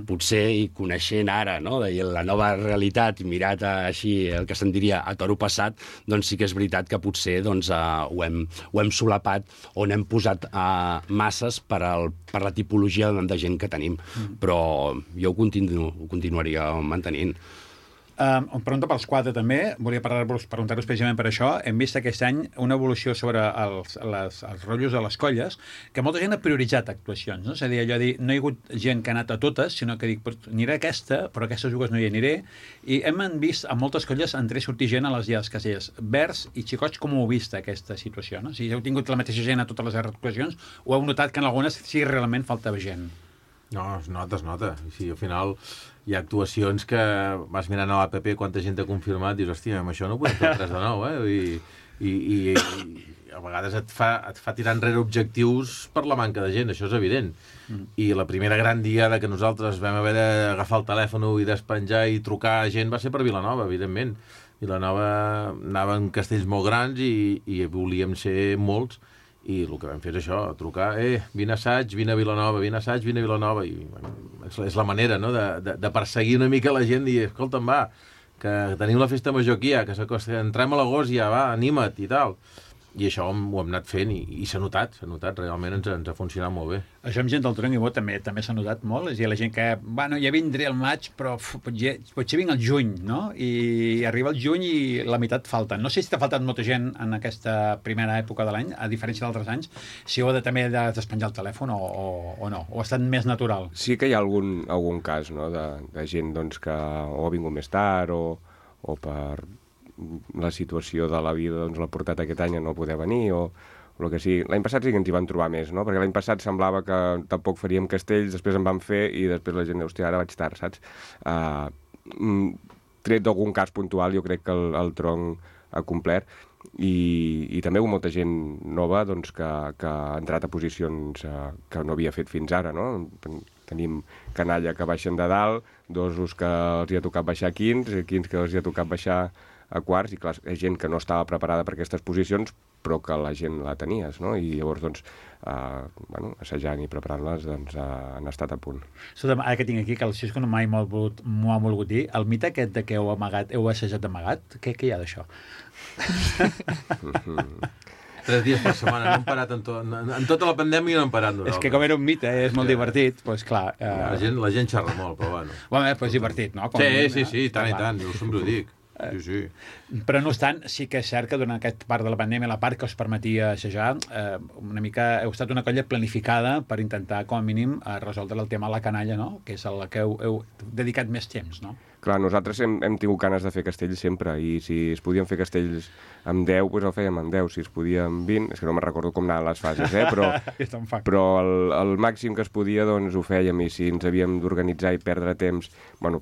Potser, i coneixent ara, no, la nova realitat, i mirat així el que se'n diria a toro passat, doncs sí que és veritat que potser ho hem solapat o n'hem posat masses per la tipologia de gent que tenim, però jo ho continuaria mantenint. Pregunta pels 4 també, volia preguntar-vos precisament per això. Hem vist aquest any una evolució sobre els rotllos de les colles, que molta gent ha prioritzat actuacions, no? És a dir, allò de dir, no hi ha hagut gent que ha anat a totes, sinó que dic, aniré a aquesta, però a aquestes jugues no hi aniré, i hem vist a moltes colles entrar i sortir gent a les diades castellers. Vers i xicots, com ho heu vist, aquesta situació? No? Si heu tingut la mateixa gent a totes les actuacions, o heu notat que en algunes sí realment faltava gent? No, es nota. Sí, al final hi ha actuacions que vas mirant a l'APP quanta gent t'ha confirmat i dius, hòstia, amb això no podem fer res de nou, I a vegades et fa tirar enrere objectius per la manca de gent, això és evident. I la primera gran diada que nosaltres vam haver d'agafar el telèfon i despenjar i trucar a gent va ser per Vilanova, evidentment. Vilanova anava en castells molt grans i volíem ser molts, i el que vam fer és això, trucar, vine a assaig, vine a Vilanova, vine a assaig, vine a Vilanova, i bueno, és la manera, no?, de perseguir una mica la gent i dir, escolta'm, va, que tenim la festa major aquí, que entrem a l'agost ja, va, anima't i tal. I això ho hem anat fent i s'ha notat, realment ens ha funcionat molt bé. Això amb gent del Torrent i Bo també s'ha notat molt, és a dir, la gent que, bueno, ja vindré al maig, però potser vinc al juny, no? I arriba el juny i la meitat falta. No sé si t'ha faltat molta gent en aquesta primera època de l'any, a diferència d'altres anys, si heu també de despenjar el telèfon o no, o ha estat més natural. Sí que hi ha algun cas, no?, de gent doncs, que o ha vingut més tard o per la situació de la vida doncs, l'ha portat aquest any a no poder venir o el que sigui. L'any passat sí que ens hi van trobar més, no? Perquè l'any passat semblava que tampoc faríem castells, després en vam fer i després la gent diu, hòstia, ara vaig tard, saps? Tret d'algun cas puntual, jo crec que el tronc ha complert i també hi ha molta gent nova doncs, que ha entrat a posicions que no havia fet fins ara, no? Tenim canalla que baixen de dalt, dosos que els hi ha tocat baixar a quins que els hi ha tocat baixar a quarts, i clar, hi ha gent que no estava preparada per aquestes posicions, però que la gent la tenies, no? I llavors, doncs, assajant i preparant-les, doncs, han estat a punt. Escolta, ara que tinc aquí, que el Xisco mai m'ho ha volgut dir, el mite aquest de que heu assajat amagat, què hi ha d'això? 3 dies per setmana, no hem parat en tota la pandèmia no hem parat nosaltres. És que com era un mite, és molt divertit, doncs clar... La gent xerra molt, però bueno. Bueno, però és divertit, no? Sí, tant i tant, jo sempre ho dic. Sí. Però no obstant, sí que és cert que durant aquest part de la pandèmia, la part que us permetia assajar, una mica heu estat una colla planificada per intentar, com a mínim, resoldre el tema de la canalla, no? Que és el que heu dedicat més temps, no? Clar, nosaltres hem tingut ganes de fer castells sempre, i si es podien fer castells amb 10, doncs el fèiem amb 10. Si es podia amb 20, és que no me'n recordo com anaven les fases, però el màxim que es podia, doncs ho fèiem, i si ens havíem d'organitzar i perdre temps, no,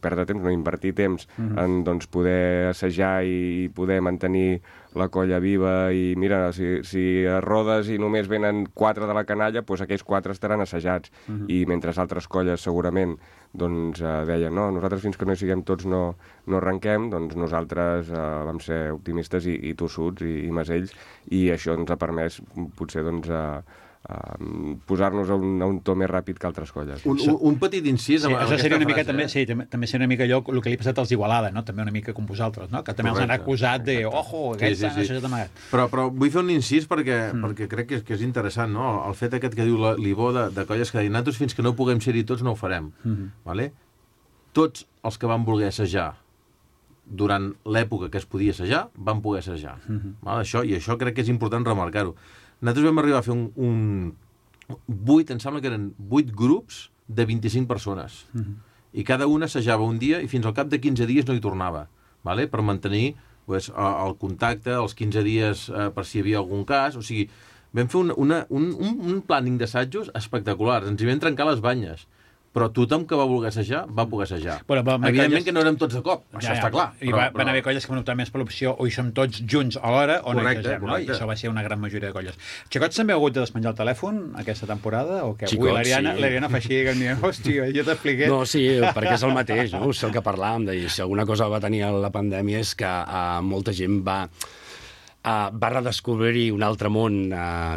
invertir temps en doncs, poder assajar i poder mantenir la colla viva, i mira, si rodes i només venen 4 de la canalla, doncs aquells 4 estaran assajats, i mentre altres colles segurament doncs deien, no, nosaltres fins que no hi siguem tots no arrenquem, doncs nosaltres vam ser optimistes i tossuts i masells, i això ens ha permès potser doncs posar-nos a un to més ràpid que altres colles. Un petit incís amb això seria una mica, frase, també seria una mica allò el que li ha passat als Igualada, no? També una mica com vosaltres, no? Que també els han acusat de ojo, aquests han assajat amagat. Però vull fer un incís perquè crec que és interessant, no? El fet aquest que diu l'Ibó de colles que diuen nosaltres fins que no puguem ser-hi tots no ho farem. Vale? Tots els que van voler assajar durant l'època que es podia assajar van poder assajar. I això crec que és important remarcar-ho. Nosaltres vam arribar a fer em sembla que eren 8 grups de 25 persones. I cada una assajava un dia i fins al cap de 15 dies no hi tornava, vale? Per mantenir el contacte, els 15 dies per si hi havia algun cas. O sigui, vam fer un planning d'assajos espectaculars. Ens hi vam trencar les banyes. Però tothom que va voler assajar, va poder assajar. Evidentment que no érem tots de cop, això està clar. I van haver colles que van optar més per l'opció o hi som tots junts alhora o no hi assagem, no? I això va ser una gran majoria de colles. Xicots també ha hagut de despenjar el telèfon aquesta temporada? O què? Avui l'Ariana fa així, que em diuen, hòstia, jo t'expliqué. No, sí, perquè és el mateix, no? És el que parlàvem, de dir, si alguna cosa va tenir la pandèmia és que molta gent va redescobrir un altre món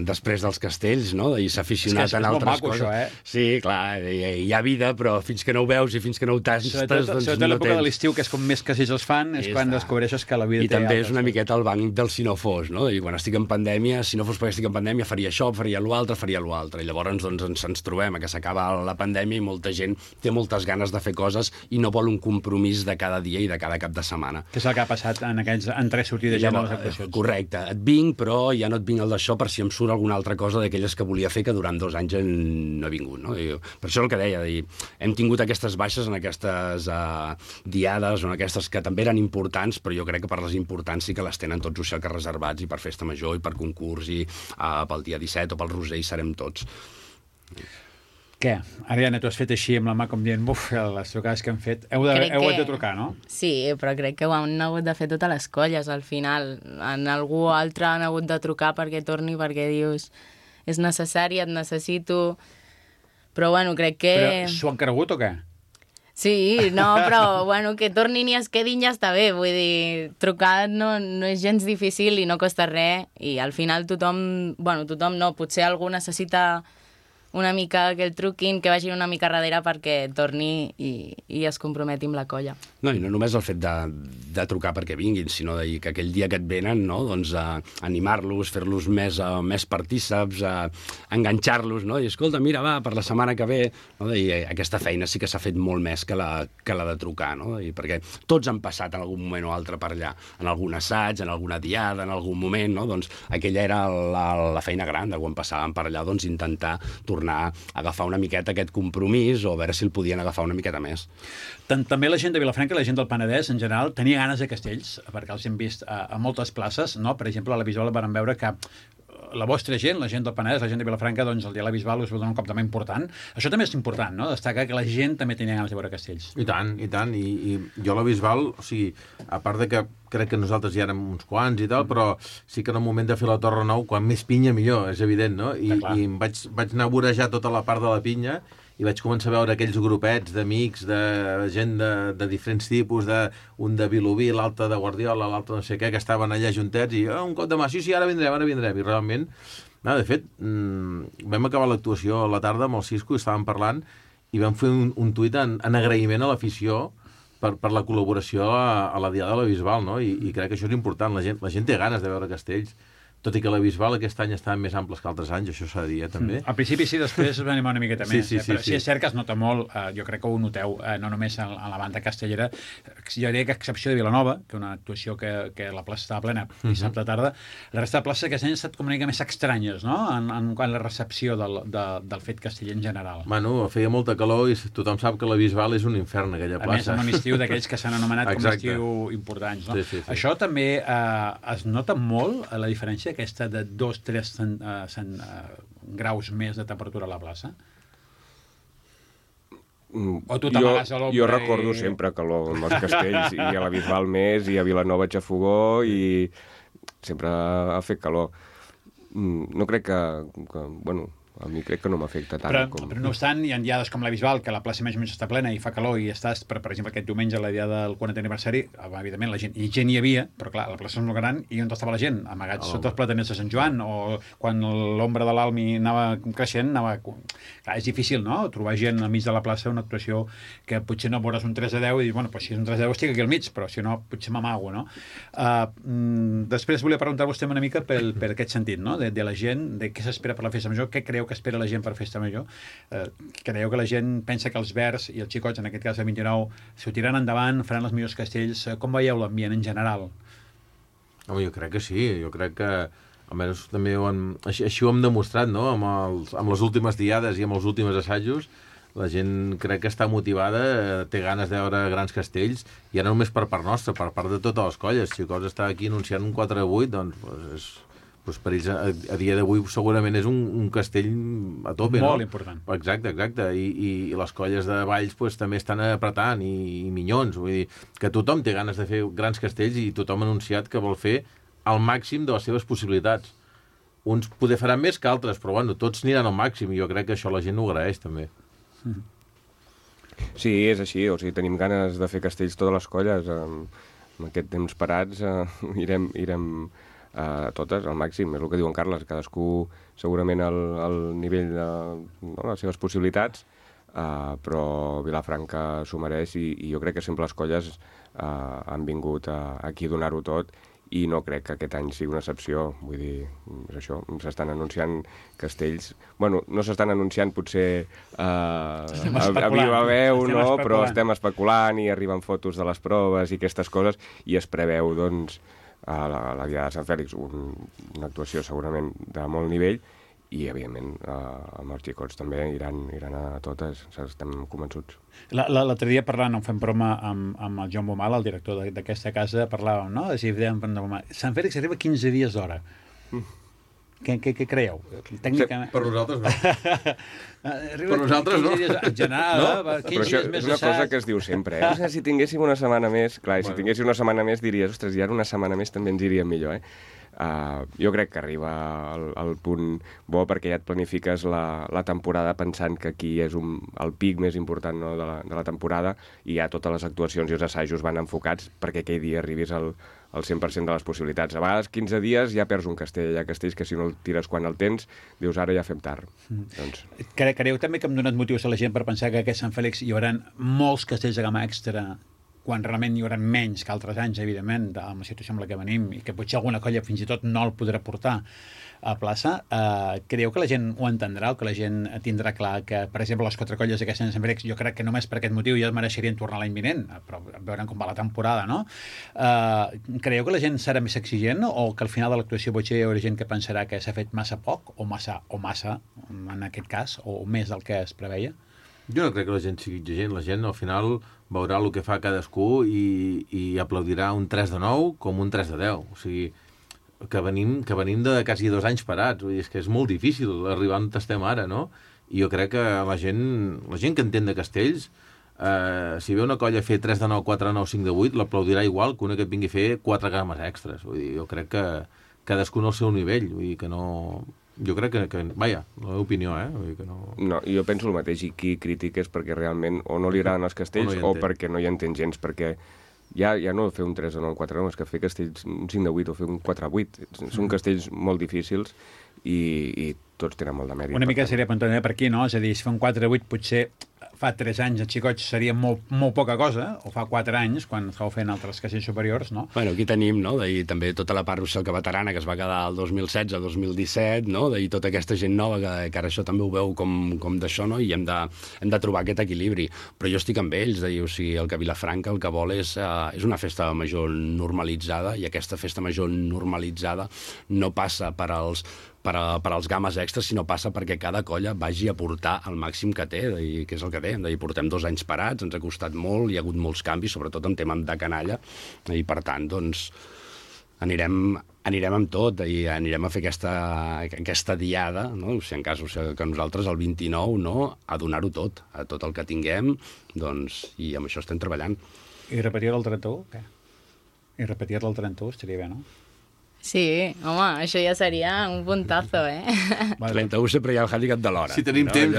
després dels castells, no? I s'ha aficionat en altres coses. Això, Sí, clar, hi ha vida, però fins que no ho veus i fins que no ho tastes, doncs no tens. Sobretot l'època de l'estiu, que és com més castells es fan, és quan descobreixes que la vida té altres. I també és una miqueta el banc del si no fos, no? I quan estic en pandèmia, si no fos perquè estic en pandèmia, faria això, faria l'altre. I llavors doncs, ens trobem que s'acaba la pandèmia i molta gent té moltes ganes de fer coses i no vol un compromís de cada dia i de cada cap de setmana. Què és el que ha passat en aquells entrés sortides ja de les actuacions? Correcte, et vinc, però ja no et vinc el d'això per si em surt alguna altra cosa d'aquelles que volia fer que durant 2 anys no he vingut, no? I per això el que deia, hem tingut aquestes baixes en aquestes diades o en aquestes que també eren importants, però jo crec que per les importants sí que les tenen tots que reservats, i per festa major i per concurs i pel dia 17 o pel Roser hi serem tots. Què? Ariana, tu has fet així amb la mà com dient, les trucades que hem fet. Heu de trucar, no? Sí, però crec que ho han hagut de fer totes les colles, al final. En algú altre han hagut de trucar perquè torni, perquè dius, és necessari, et necessito... Però, bueno, crec que... Però s'ho han cregut o què? Sí, no, però, bueno, que tornin i es quedin ja està bé. Vull dir, trucar no és gens difícil i no costa res. I al final tothom no, potser algú necessita una mica que el truquin, que vagin una mica darrere perquè torni i es comprometi amb la colla. No, i no només el fet de trucar perquè vinguin, sinó de que aquell dia que et venen, no? Doncs animar-los, fer-los més partíceps, enganxar-los, no? I escolta, mira, va, per la setmana que ve, no? I aquesta feina sí que s'ha fet molt més que la de trucar, no? I perquè tots han passat en algun moment o altre per allà, en algun assaig, en alguna diada, en algun moment, no? Doncs aquella era la feina gran de quan passàvem per allà, doncs intentar tornar a agafar una miqueta aquest compromís o a veure si el podien agafar una miqueta més. També la gent de Vilafranca i la gent del Penedès, en general, tenia ganes de castells, perquè els hem vist a moltes places, no? Per exemple, a la Bisbal vam veure que la vostra gent, la gent del Penedès, la gent de Vilafranca, doncs el dia de la Bisbal us va donar un cop de mà important. Això també és important, no? Destacar que la gent també tenia ganes de veure castells. I tant, i tant. I jo a la Bisbal, o sigui, a part de que crec que nosaltres ja érem uns quants i tal, però sí que en el moment de fer la Torre Nou, quan més pinya millor, és evident, no? I em vaig anar a vorejar tota la part de la pinya i vaig començar a veure aquells grupets d'amics, de gent de diferents tipus, un de Vilobí, l'altre de Guardiola, l'altre no sé què, que estaven allà juntets i un cop de mà, sí, ara vindrem. I realment, de fet, vam acabar l'actuació a la tarda amb el Cisco i estàvem parlant i vam fer un tuit en agraïment a l'afició per la col·laboració a la Diada de la Bisbal, no? I crec que això és important. La gent té ganes de veure castells, tot i que la Bisbal aquest any estaven més amples que altres anys, això s'ha de dir, també. Al principi sí, després va animar una miqueta més. Però sí. És cert que es nota molt, jo crec que ho noteu, no només a la banda castellera, jo diria que a excepció de Vilanova, que una actuació que la plaça estava plena dissabte tarda, la resta de places aquest any han estat com una mica més estranyes, no?, en la recepció del fet casteller en general. Bueno, feia molta calor i tothom sap que la Bisbal és un infern, aquella plaça. A més, amb un estiu d'aquells que s'han anomenat com estiu importants, no? Sí. Això també es nota molt, la diferència aquesta de 2-3 graus més de temperatura a la plaça? O tu t'amagues a l'ombra? Jo recordo sempre calor amb els castells, i a la Bisbal més, i a Vilanova Xafogó, i sempre ha fet calor. No crec que bueno, a mi crec que no m'afecta tant. Però no obstant, hi ha diades com la Bisbal, que la plaça més o menys està plena i fa calor i estàs, per exemple, aquest diumenge, la dia del 40è aniversari, evidentment, la gent hi havia, però clar, la plaça és molt gran i on estava la gent? Amagats sota els plataners de Sant Joan, o quan l'ombra de l'Almi anava creixent, Clar, és difícil, no?, trobar gent al mig de la plaça, una actuació que potser no veuràs un 3-10 i dir, bueno, si és un 3-10 estic aquí al mig, però si no, potser m'amago, no? Després volia preguntar-vos una mica per aquest sentit, no?, de la gent, de què s'espera per la festa major, què creu que espera la gent per festa major. Creieu que la gent pensa que els verds i els xicots, en aquest cas el 29, s'ho tiraran endavant, faran els millors castells? Com veieu l'ambient en general? Home, jo crec que sí, jo crec que almenys també així ho hem demostrat, no?, amb les últimes diades i amb els últims assajos. La gent crec que està motivada, té ganes de veure grans castells, i no només per part nostra, per part de totes les colles. Xicots està aquí anunciant un 4-8, doncs per ells a dia d'avui segurament és un castell a tope, no? Molt important. Exacte. I les colles de Valls també estan apretant, i Minyons. Vull dir que tothom té ganes de fer grans castells i tothom ha anunciat que vol fer al màxim de les seves possibilitats. Uns poder faran més que altres, però bueno, tots aniran al màxim, i jo crec que això la gent ho agraeix també. Sí, és així, o sigui, tenim ganes de fer castells totes les colles. En aquest temps parats irem totes al màxim, és el que diu en Carles, cadascú segurament al nivell de les seves possibilitats, però Vilafranca s'ho mereix, i jo crec que sempre les colles han vingut aquí a donar-ho tot, i no crec que aquest any sigui una excepció. Vull dir, és això, s'estan anunciant castells. Bueno, no s'estan anunciant potser a viva veu, no? Però estem especulant i arriben fotos de les proves i aquestes coses, i es preveu, doncs, a la Diada de Sant Fèlix una actuació segurament de molt nivell, i evidentment amb els xicots també iran a totes, estem convençuts. L'altre dia parlant, fem broma amb el Joan Bomal, el director d'aquesta casa, parlàvem, no? Sant Fèlix arriba 15 dies d'hora. Què creieu? Tècnicament... Per nosaltres no. Per nosaltres no. En general, 15 dies més és una cosa que es diu sempre, eh? O sigui, si tinguéssim una setmana més, clar, si tinguéssim una setmana més diries, ostres, i ara una setmana més també ens iria millor, jo crec que arriba al punt bo, perquè ja et planifiques la temporada pensant que aquí és el pic més important, no, de la temporada, i ja totes les actuacions i els assajos van enfocats perquè aquell dia arribis al el 100% de les possibilitats. A vegades 15 dies ja perds un castell. Hi ha castells que si no el tires quan el tens, dius ara ja fem tard. Doncs... Creieu també que hem donat motius a la gent per pensar que a aquest Sant Fèlix hi haurà molts castells de gamma extra quan realment hi haurà menys que altres anys, evidentment, amb la situació amb la que venim, i que potser alguna colla fins i tot no el podrà portar a plaça. Creieu que la gent ho entendrà o que la gent tindrà clar que, per exemple, les 4 colles d'aquest Sant Fèlix, jo crec que només per aquest motiu ja es mereixerien tornar l'any vinent, però veurem com va la temporada, no? Creieu que la gent serà més exigent o que al final de l'actuació potser hi haurà gent que pensarà que s'ha fet massa poc o massa, en aquest cas, o més del que es preveia? Jo no crec que la gent sigui exigent. La gent al final veurà el que fa cadascú i aplaudirà un 3 de 9 com un 3 de 10. O sigui, que venim de quasi 2 anys parats. Vull dir, és que és molt difícil arribar on estem ara, no? I jo crec que la gent que entén de castells, si ve una colla a fer 3 de 9, 4 de 9, 5 de 8, l'aplaudirà igual que una que et vingui a fer 4 games extres. Vull dir, jo crec que cadascú al seu nivell. Vull dir que no... Jo crec que vaja, la meva opinió, Vull dir que no... No, jo penso el mateix, i qui critica és perquè realment o no li agraden els castells o perquè no hi entén gens, perquè ja no fer un 3 de 9, 4 de 9, és que fer castells un 5 de 8 o fer un 4 de 8, són castells molt difícils i tots tenen molt de mèrit. Una mica seria apuntant per aquí, no? És a dir, si fa un 4 de 8 potser fa 3 anys a Xicots seria molt poca cosa, o fa 4 anys, quan estàu fent altres castells superiors, no? Bueno, aquí tenim, no?, també tota la part rossellca veterana que es va quedar el 2016-2017, no?, tota aquesta gent nova que ara això també ho veu com d'això, no?, i hem de trobar aquest equilibri. Però jo estic amb ells, o sigui, el que Vilafranca el que vol és una festa major normalitzada, i aquesta festa major normalitzada no passa per als games extras, sinó passa perquè cada colla vagi a portar el màxim que té, que és el que té. Portem 2 anys parats, ens ha costat molt, hi ha hagut molts canvis, sobretot en tema de canalla, i per tant, doncs, anirem amb tot i anirem a fer aquesta diada, no? Si en cas que nosaltres el 29, no?, a donar-ho tot, a tot el que tinguem, doncs, i amb això estem treballant. I repetir el 31, què? I repetir el 31 estaria bé, no? Sí, home, això ja seria un puntazo, 31 sempre hi ha el hàndicap de l'hora. Si tenim temps,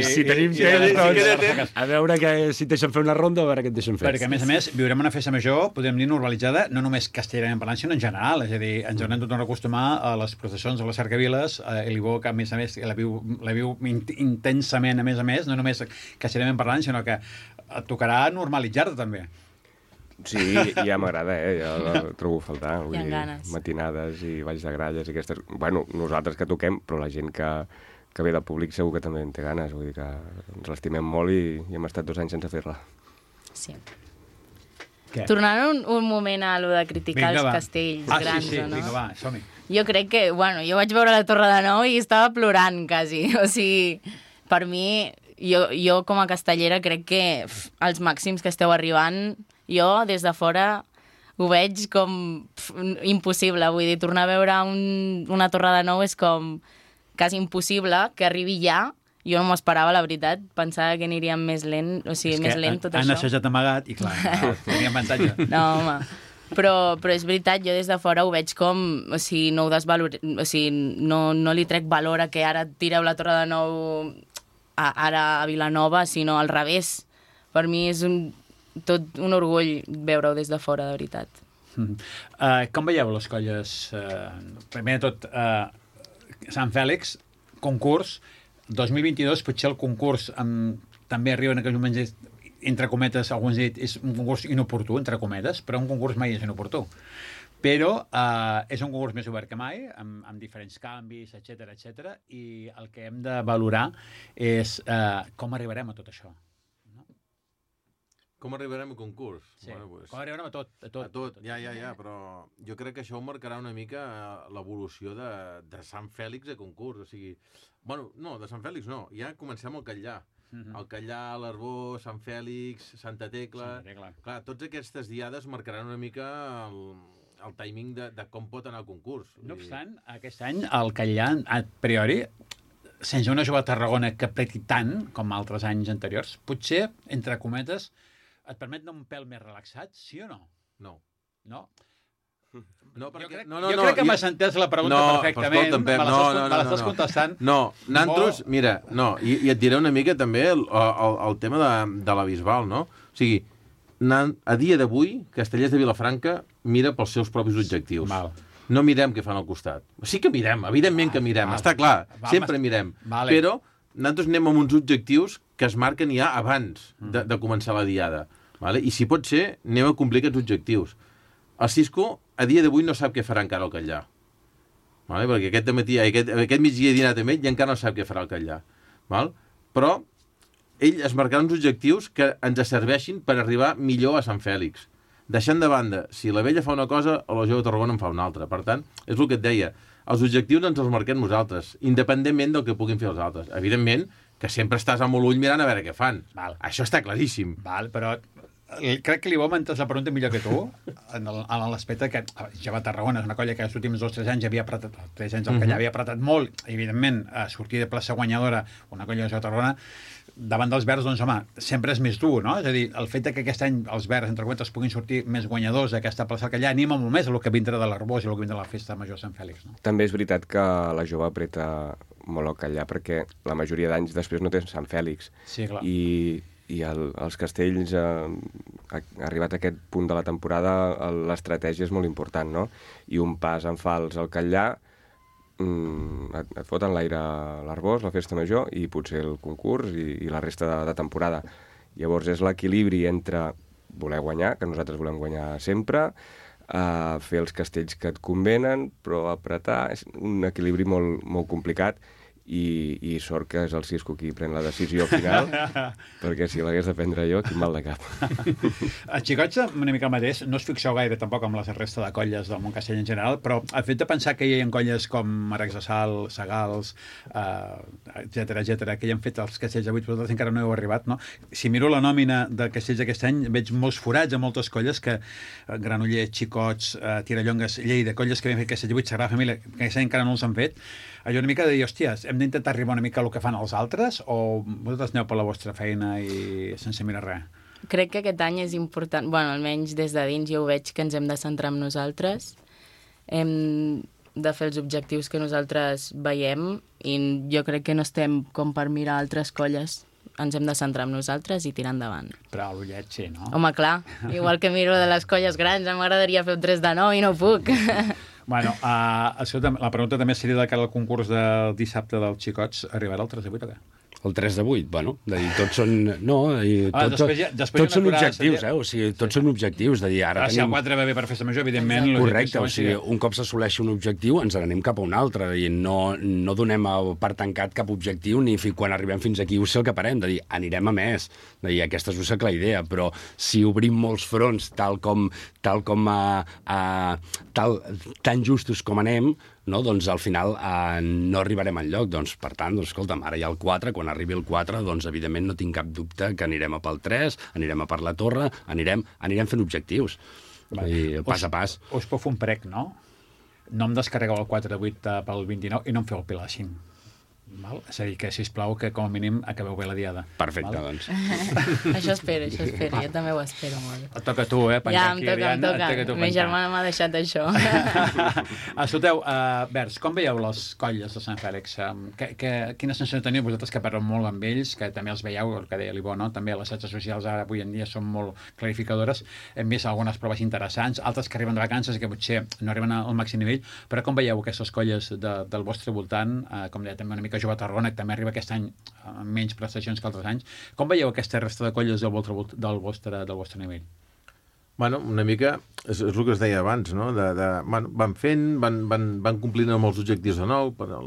si tenim temps, a veure si et deixen fer una ronda, a veure què et deixen fer. Perquè, a més, viurem una festa major, podem dir normalitzada, no només castellerament parlant, sinó en general. És a dir, ens haurem de tornar a acostumar a les processons, a les cercaviles, i l'Ibó, que a més la viu intensament, a més, no només castellerament parlant, sinó que et tocarà normalitzar-te també. Sí, ja m'agrada, ja la trobo a faltar. Hi ha ganes. Matinades i balls de gralles i aquestes... Bueno, nosaltres que toquem, però la gent que ve del públic segur que també en té ganes. Vull dir que ens l'estimem molt i hem estat 2 anys sense fer-la. Sí. Què? Tornant un moment a lo de criticar els castells grans, sí, o no? vinga, va, som-hi. Jo crec que, jo vaig veure la Torre de Nou i estava plorant, quasi. O sigui, per mi, jo com a castellera crec que els màxims que esteu arribant... Jo, des de fora, ho veig com impossible. Vull dir, tornar a veure una Torre de Nou és com quasi impossible que arribi ja. Jo no m'ho esperava, la veritat. Pensava que aniríem més lent, o sigui, més lent tot això. Han assajat amagat i, clar, tenia avantatge. No, home. Però és veritat, jo des de fora ho veig com, o sigui, no ho o sigui, no li trec valor a que ara tireu la Torre de Nou ara a Vilanova, sinó al revés. Per mi és tot un orgull veure-ho des de fora, de veritat. Com veieu les colles? Primer de tot, Sant Fèlix, concurs, 2022, potser el concurs també arriba en aquells moments, entre cometes, alguns dit, és un concurs inoportú, entre cometes, però un concurs mai és inoportú. Però és un concurs més obert que mai, amb diferents canvis, etc. I el que hem de valorar és com arribarem a tot això. Com arribarem a concurs? Sí, com arribarem a tot. Ja, però jo crec que això marcarà una mica l'evolució de Sant Fèlix a concurs. O sigui, de Sant Fèlix no, ja comencem al Catllà. El Catllà, l'Arbó, Sant Fèlix, Santa Tecla... Clar, tots aquestes diades marcaran una mica el timing de com pot anar el concurs. No obstant, aquest any el Catllà, a priori, sense una jove a Tarragona que preti tant com altres anys anteriors, potser, entre cometes, et permet anar un pèl més relaxat, sí o no? No. No? Perquè... Jo crec que m'has entès la pregunta perfectament. Me l'estàs contestant. No, nantros, mira, i et diré una mica també el tema de la Bisbal, no? O sigui, a dia d'avui, Castellers de Vilafranca mira pels seus propis objectius. Val. No mirem què fan al costat. Sí que mirem, evidentment que mirem, està clar, sempre mirem. Però nosaltres anem amb uns objectius que es marquen ja abans de començar la diada. I si pot ser, anem a complir aquests objectius. El Cisco, a dia d'avui, no sap què farà encara el Catllà. Perquè aquest migdia he dinat amb ell i encara no sap què farà el Catllà. Però ell es marcarà uns objectius que ens serveixin per arribar millor a Sant Fèlix. Deixant de banda, si la vella fa una cosa, la jove de Tarragona en fa una altra. Per tant, és el que et deia, els objectius ens els marquem nosaltres, independentment del que puguin fer els altres. Evidentment, que sempre estàs amb l'ull mirant a veure què fan. Això està claríssim. Però crec que l'Ivo m'ha entès la pregunta millor que tu, en l'aspecte que ja va a Tarragona, és una colla que els últims 2 o 3 anys havia apretat, 3 anys el que ja havia apretat molt, evidentment, a sortir de plaça guanyadora, una colla de Tarragona, davant dels verds, doncs, home, sempre és més dur, no? És a dir, el fet que aquest any els verds, entre cometes, puguin sortir més guanyadors d'aquesta plaça que allà anima molt més el que vindrà de l'Arbós i el que vindrà de la festa major de Sant Fèlix, no? També és veritat que la jove apreta molt el Catllà, perquè la majoria d'anys després no té Sant Fèlix. Sí, clar. I els Castells, arribat a aquest punt de la temporada, l'estratègia és molt important, no? I un pas en fals al Catllà, et foten l'aire a l'Arbós, la festa major, i potser el concurs i la resta de temporada. Llavors és l'equilibri entre voler guanyar, que nosaltres volem guanyar sempre, fer els castells que et convenen, però apretar és un equilibri molt, molt complicat, i sort que és el Cisco qui pren la decisió final, perquè si l'hagués de prendre jo, quin mal de cap. Els xicots, una mica el mateix, no us fixeu gaire tampoc amb la resta de colles del món castell en general, però el fet de pensar que hi ha colles com Aracs de Sal, Sagals, etcètera, que hi han fet els castells avui, vosaltres encara no heu arribat, no? Si miro la nòmina de castells d'aquest any, veig molts forats a moltes colles que Granollers, Xicots, Tirallongues, Lleida, colles que havien fet castells avui, Sagrada Família, que aquest any encara no els han fet. Allò una mica de dir, hòsties, hem d'intentar arribar una mica al que fan els altres o vosaltres aneu per la vostra feina i sense mirar res? Crec que aquest any és important, bueno, almenys des de dins jo ho veig que ens hem de centrar en nosaltres, hem de fer els objectius que nosaltres veiem i jo crec que no estem com per mirar altres colles, ens hem de centrar en nosaltres i tirar endavant. Però l'ullet sí, no? Home, clar, igual que miro de les colles grans, m'agradaria fer un 3 de 9 i no puc. Bueno, la pregunta també seria de cara al concurs del dissabte dels xicots. Arribarà el 3 de 8 o què? El 3 de 8, bueno, de dir, tots són... No, tots són objectius, o sigui, tots són objectius, de dir, ara tenim... Si el 4 va bé per festa major, evidentment... Correcte, o sigui, un cop s'assoleixi un objectiu, ens n'anem cap a un altre, de dir, no donem per tancat cap objectiu, ni quan arribem fins aquí ho sé el que parem, de dir, anirem a més, de dir, aquesta és la idea, però si obrim molts fronts tan justos com anem, no? Doncs al final no arribarem enlloc. Doncs, per tant, escolta'm, ara hi ha el 4, quan arribi el 4, doncs evidentment no tinc cap dubte que anirem a pel 3, anirem a per la torre, anirem fent objectius, pas a pas. Us puc fer un prec, no? No em descarregueu el 4 de 8 pel 29 i no em feu el Pilar 5. Val? És a dir, que, sisplau, que com a mínim acabeu bé la diada. Perfecte, val? Doncs. Això espero, jo també ho espero molt. Et toca a tu, Ja, em toca. Ma germana m'ha deixat això. Escolteu, Vers, com veieu les colles de Sant Fèlix? Quina sensació teniu vosaltres que parleu molt amb ells, que també els veieu, el que deia l'Ivo, no? També les xarxes socials ara avui en dia són molt clarificadores. Hem vist algunes proves interessants, altres que arriben de vacances i que potser no arriben al màxim nivell, però com veieu aquestes colles del vostre voltant, com deia també una mica jove a Tarragona, que també arriba aquest any amb menys prestacions que altres anys. Com veieu aquesta resta de colles del vostre nivell? Bueno, una mica és el que es deia abans, no? Van fent, van complint amb els objectius de nou, però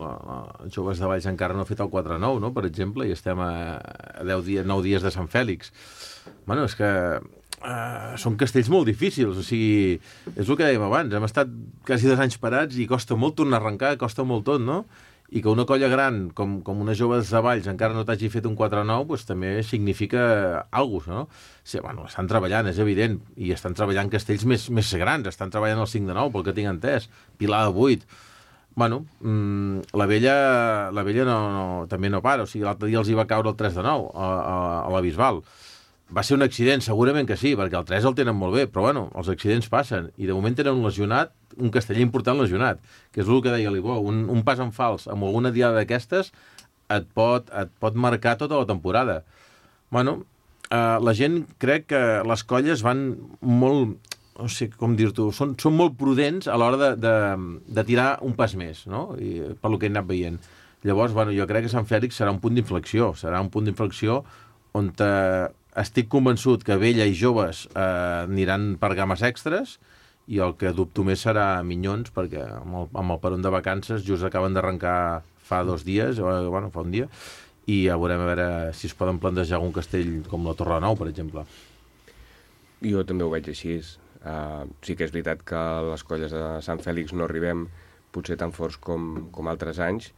els joves de Valls encara no ha fet el 4-9, no? Per exemple, i estem a 9 dies de Sant Fèlix. Bueno, és que són castells molt difícils, o sigui, és el que dèiem abans, hem estat quasi 2 anys parats i costa molt tornar a arrencar, costa molt tot, no? I que una colla gran, com una jove de Valls, encara no t'hagi fet un 4-9, doncs també significa alguna cosa, no? Sí, bueno, estan treballant, és evident, i estan treballant castells més grans, estan treballant el 5 de 9, pel que tinc entès, Pilar de 8. Bueno, la vella també no para, o sigui, l'altre dia els hi va caure el 3 de 9 a la Bisbal. Va ser un accident, segurament que sí, perquè el 3 el tenen molt bé, però bueno, els accidents passen, i de moment tenen un lesionat, un casteller important lesionat, que és el que deia l'Ivo, un pas en fals amb alguna diada d'aquestes et pot marcar tota la temporada. Bueno, la gent crec que les colles van molt, no sé com dir-t'ho, són molt prudents a l'hora de tirar un pas més, no? I, per lo que he anat veient. Llavors, bueno, jo crec que Sant Fèlix serà un punt d'inflexió, on estic convençut que vella i joves aniran per games extres, i el que dubto més serà Minyons, perquè amb el peron de vacances just acaben d'arrencar fa 2 dies, bueno, fa un dia, i ja veurem a veure si es poden plantejar algun castell com la Torre Nou, per exemple. Jo també ho veig així. Sí que és veritat que les colles de Sant Fèlix no arribem potser tan forts com altres anys,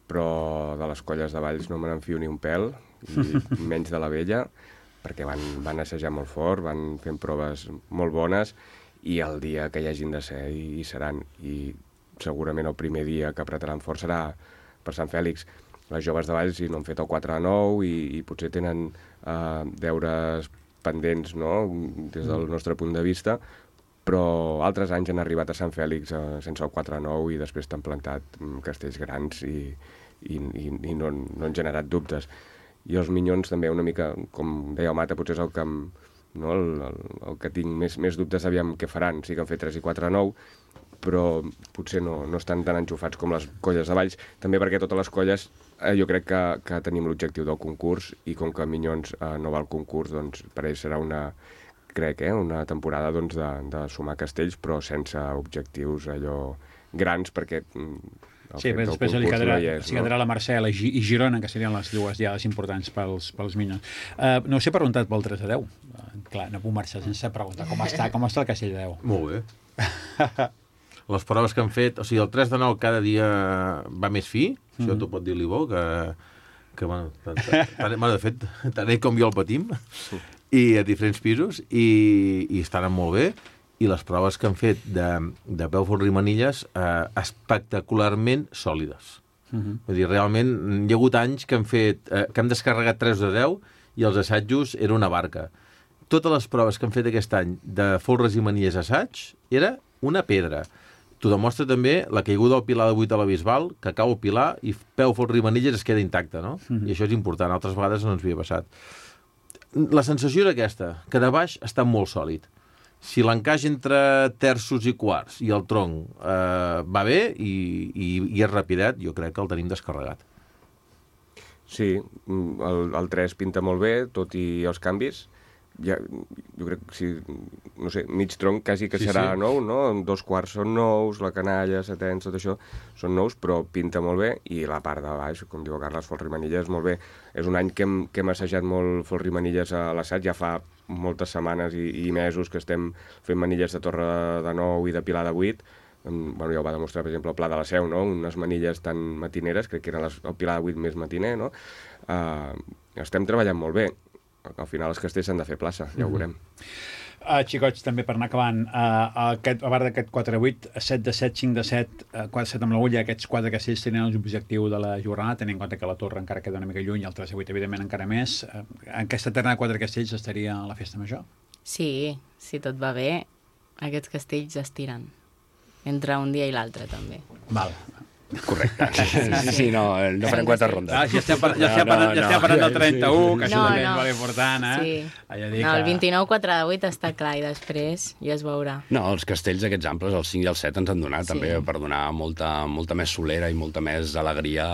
però de les colles de Valls no me n'enfio ni un pèl, i menys de la vella, perquè van assajar molt fort, van fent proves molt bones, i el dia que hi hagin de ser hi seran. I segurament el primer dia que apretaran fort serà per Sant Fèlix. Les joves de Valls no han fet el 4-9 i potser tenen deures pendents, no?, des del nostre punt de vista, però altres anys han arribat a Sant Fèlix sense el 4-9 i després t'han plantat castells grans i no han generat dubtes. I els Minyons també una mica, com deia el Mata, potser és el que el que tinc més dubtes, aviam què faran. Sí que han fet 3 i 4-9, però potser no estan tan enxufats com les colles de Valls, també perquè totes les colles jo crec que tenim l'objectiu del concurs, i com que Minyons no va al concurs, doncs per ells serà una temporada doncs, de sumar castells, però sense objectius allò grans, perquè sí, però després li quedarà la Mercè i Girona, que serien les dues diades importants pels Minyons. No us he preguntat pel 3-10. Clar, no puc marxar sense preguntar com està el castell de 10. Molt bé. Les proves que han fet, o sigui, el 3-9 cada dia va més fi, això t'ho pot dir l'Ivo, que bueno, de fet, tant ell com jo el patim, i a diferents pisos, i estan molt bé, i les proves que han fet de peu, folre i manilles espectacularment sòlides. Vull dir, realment, hi ha hagut anys que hem descarregat 3 de 10 i els assajos era una barca. Totes les proves que han fet aquest any de folres i manilles assaig era una pedra. T'ho demostra també la caiguda del pilar de 8 a la Bisbal, que cau el pilar i peu, folre i manilles es queda intacte, no? I això és important, altres vegades no ens havia passat. La sensació era aquesta, que de baix està molt sòlid. Si l'encaix entre terços i quarts i el tronc va bé i és rapidet, jo crec que el tenim descarregat. Sí, el 3 pinta molt bé, tot i els canvis. Jo crec que no sé, mig tronc quasi que serà nou, no? 2 quarts són nous, la canalla, setens, tot això són nous, però pinta molt bé, i la part de baix, com diu Carles, folre i manilles, molt bé. És un any que hem assajat molt folre i manilles a l'assaig, ja fa moltes setmanes i mesos que estem fent manilles de Torre de 9 i de Pilar de 8. Bueno, ja ho va demostrar, per exemple, el Pla de la Seu, no? Unes manilles tan matineres, crec que era el Pilar de 8 més matiner, no? Estem treballant molt bé. Al final els castells s'han de fer plaça, ja ho veurem. Xicots, també per anar acabant, a part d'aquest 4-8, 7-7, 5-7, 4-7 amb l'agulla, aquests 4 castells tenen l'objectiu de la jornada, tenint en compte que la Torre encara queda una mica lluny, el 3-8 evidentment encara més. En aquesta terna de 4 castells estaria a la festa major? Sí, si tot va bé, aquests castells es tiren. Entre un dia i l'altre, també. Val. Correcte. Sí, no farem 4 rondes. Ja estem parlant del 31, que això també és molt important, Sí. El 29, 4-8 està clar, i després ja es veurà. No, els castells aquests amples, el 5 i el 7, ens han donat també per donar molta més solera i molta més alegria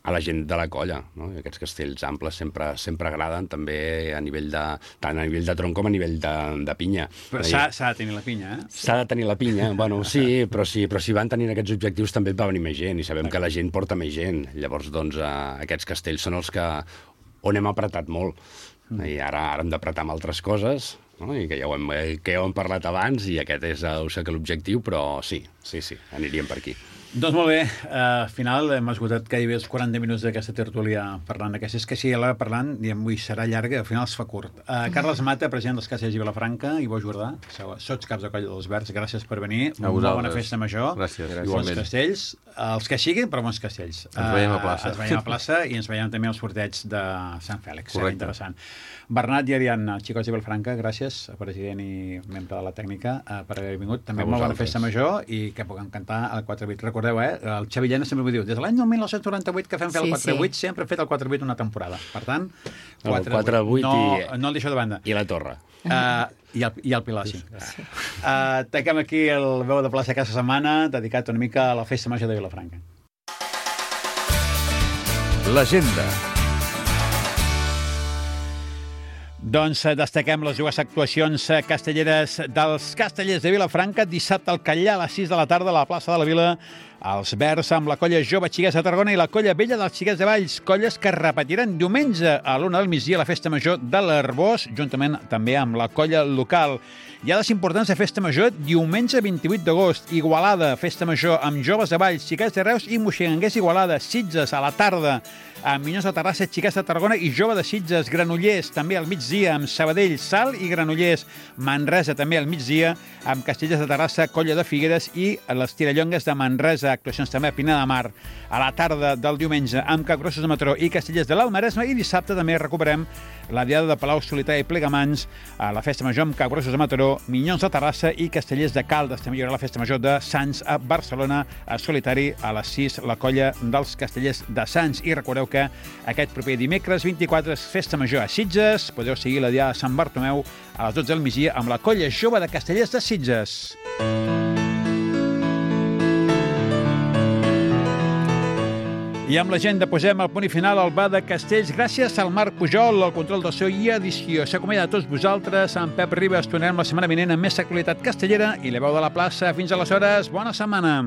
a la gent de la colla, no? I aquests castells amples sempre agraden, també tant a nivell de tronc com a nivell de pinya. Però s'ha de tenir la pinya, eh? S'ha de tenir la pinya, bueno, sí, però si van tenint aquests objectius també va venir més gent, i sabem que la gent porta més gent. Llavors, doncs, aquests castells són els on hem apretat molt. I ara hem d'apretar amb altres coses, no? I que ja ho hem parlat abans, i aquest és l'objectiu, però sí, aniríem per aquí. Doncs molt bé, al final hem esgotat gairebé els 40 minuts d'aquesta tertúlia parlant d'aquestes, que si l'hora parlant, diem, ui, serà llarga, al final es fa curt. Carles Mata, president dels Castells de Vilafranca, i Ivo Jordà, sots caps de colla dels Verds, gràcies per venir. Una bona festa major. Gràcies. Bons castells, els que siguin, però bons castells. Ens veiem a plaça. Ens veiem a plaça i ens veiem també als sorteig de Sant Fèlix. Serà interessant. Bernat i Ariadna, xicots de Vilafranca, gràcies, president i membre de la tècnica, per haver vingut. També molt bona festa major i que puguem cantar al 4-8. recordeu, el Xavi Llena sempre m'ho diu, des de l'any 1998 que fem fer el 4-8, sempre hem fet el 4-8 una temporada. Per tant, 4-8 no el deixo de banda. I la Torre. I el Pilar, sí. Tanquem aquí el veu de plaça aquesta setmana, dedicat una mica a la festa major de Vilafranca. L'agenda. Doncs destaquem les dues actuacions castelleres dels Castellers de Vilafranca. Dissabte al Catllà a les 6 de la tarda a la plaça de la Vila. Els Verds amb la colla jove Xiquets de Tarragona i la colla vella dels Xiquets de Valls, colles que repetiran diumenge a l'1 del migdia a la festa major de l'Arbós, juntament també amb la colla local. Hi ha des importants de festa major diumenge 28 d'agost. Igualada, festa major amb joves de Valls, Xiquets de Reus i Moixenguers Igualada. Sitges a la tarda, amb Minyons de Terrassa, Xiquets de Tarragona i jove de Sitges. Granollers també al migdia amb Sabadell, Salt i Granollers. Manresa també al migdia amb Castellers de Terrassa, colla de Figueres i les Tirallongues de Manresa. Actuacions també a Pinar de Mar. A la tarda del diumenge amb Capgrossos de Mataró i Castellers de l'Alt Maresme, i dissabte també recuperem la diada de Palau Solità i Plegamans a la festa major amb Capgrossos de Mataró, Minyons de Terrassa i Castellers de Caldes. També hi haurà la festa major de Sants a Barcelona, a Solitari a les 6, la colla dels Castellers de Sants. I recordeu que aquest proper dimecres 24 és festa major a Sitges. Podeu seguir la diada de Sant Bartomeu a les 12 del migdia amb la colla jove de Castellers de Sitges. I amb l'agenda posem el punt i final al Bar de Castells. Gràcies al Marc Pujol, al control del so i edició. S'acomiada a tots vosaltres. En Pep Ribas tornarem la setmana vinent amb més actualitat castellera i la veu de la plaça. Fins aleshores, bona setmana.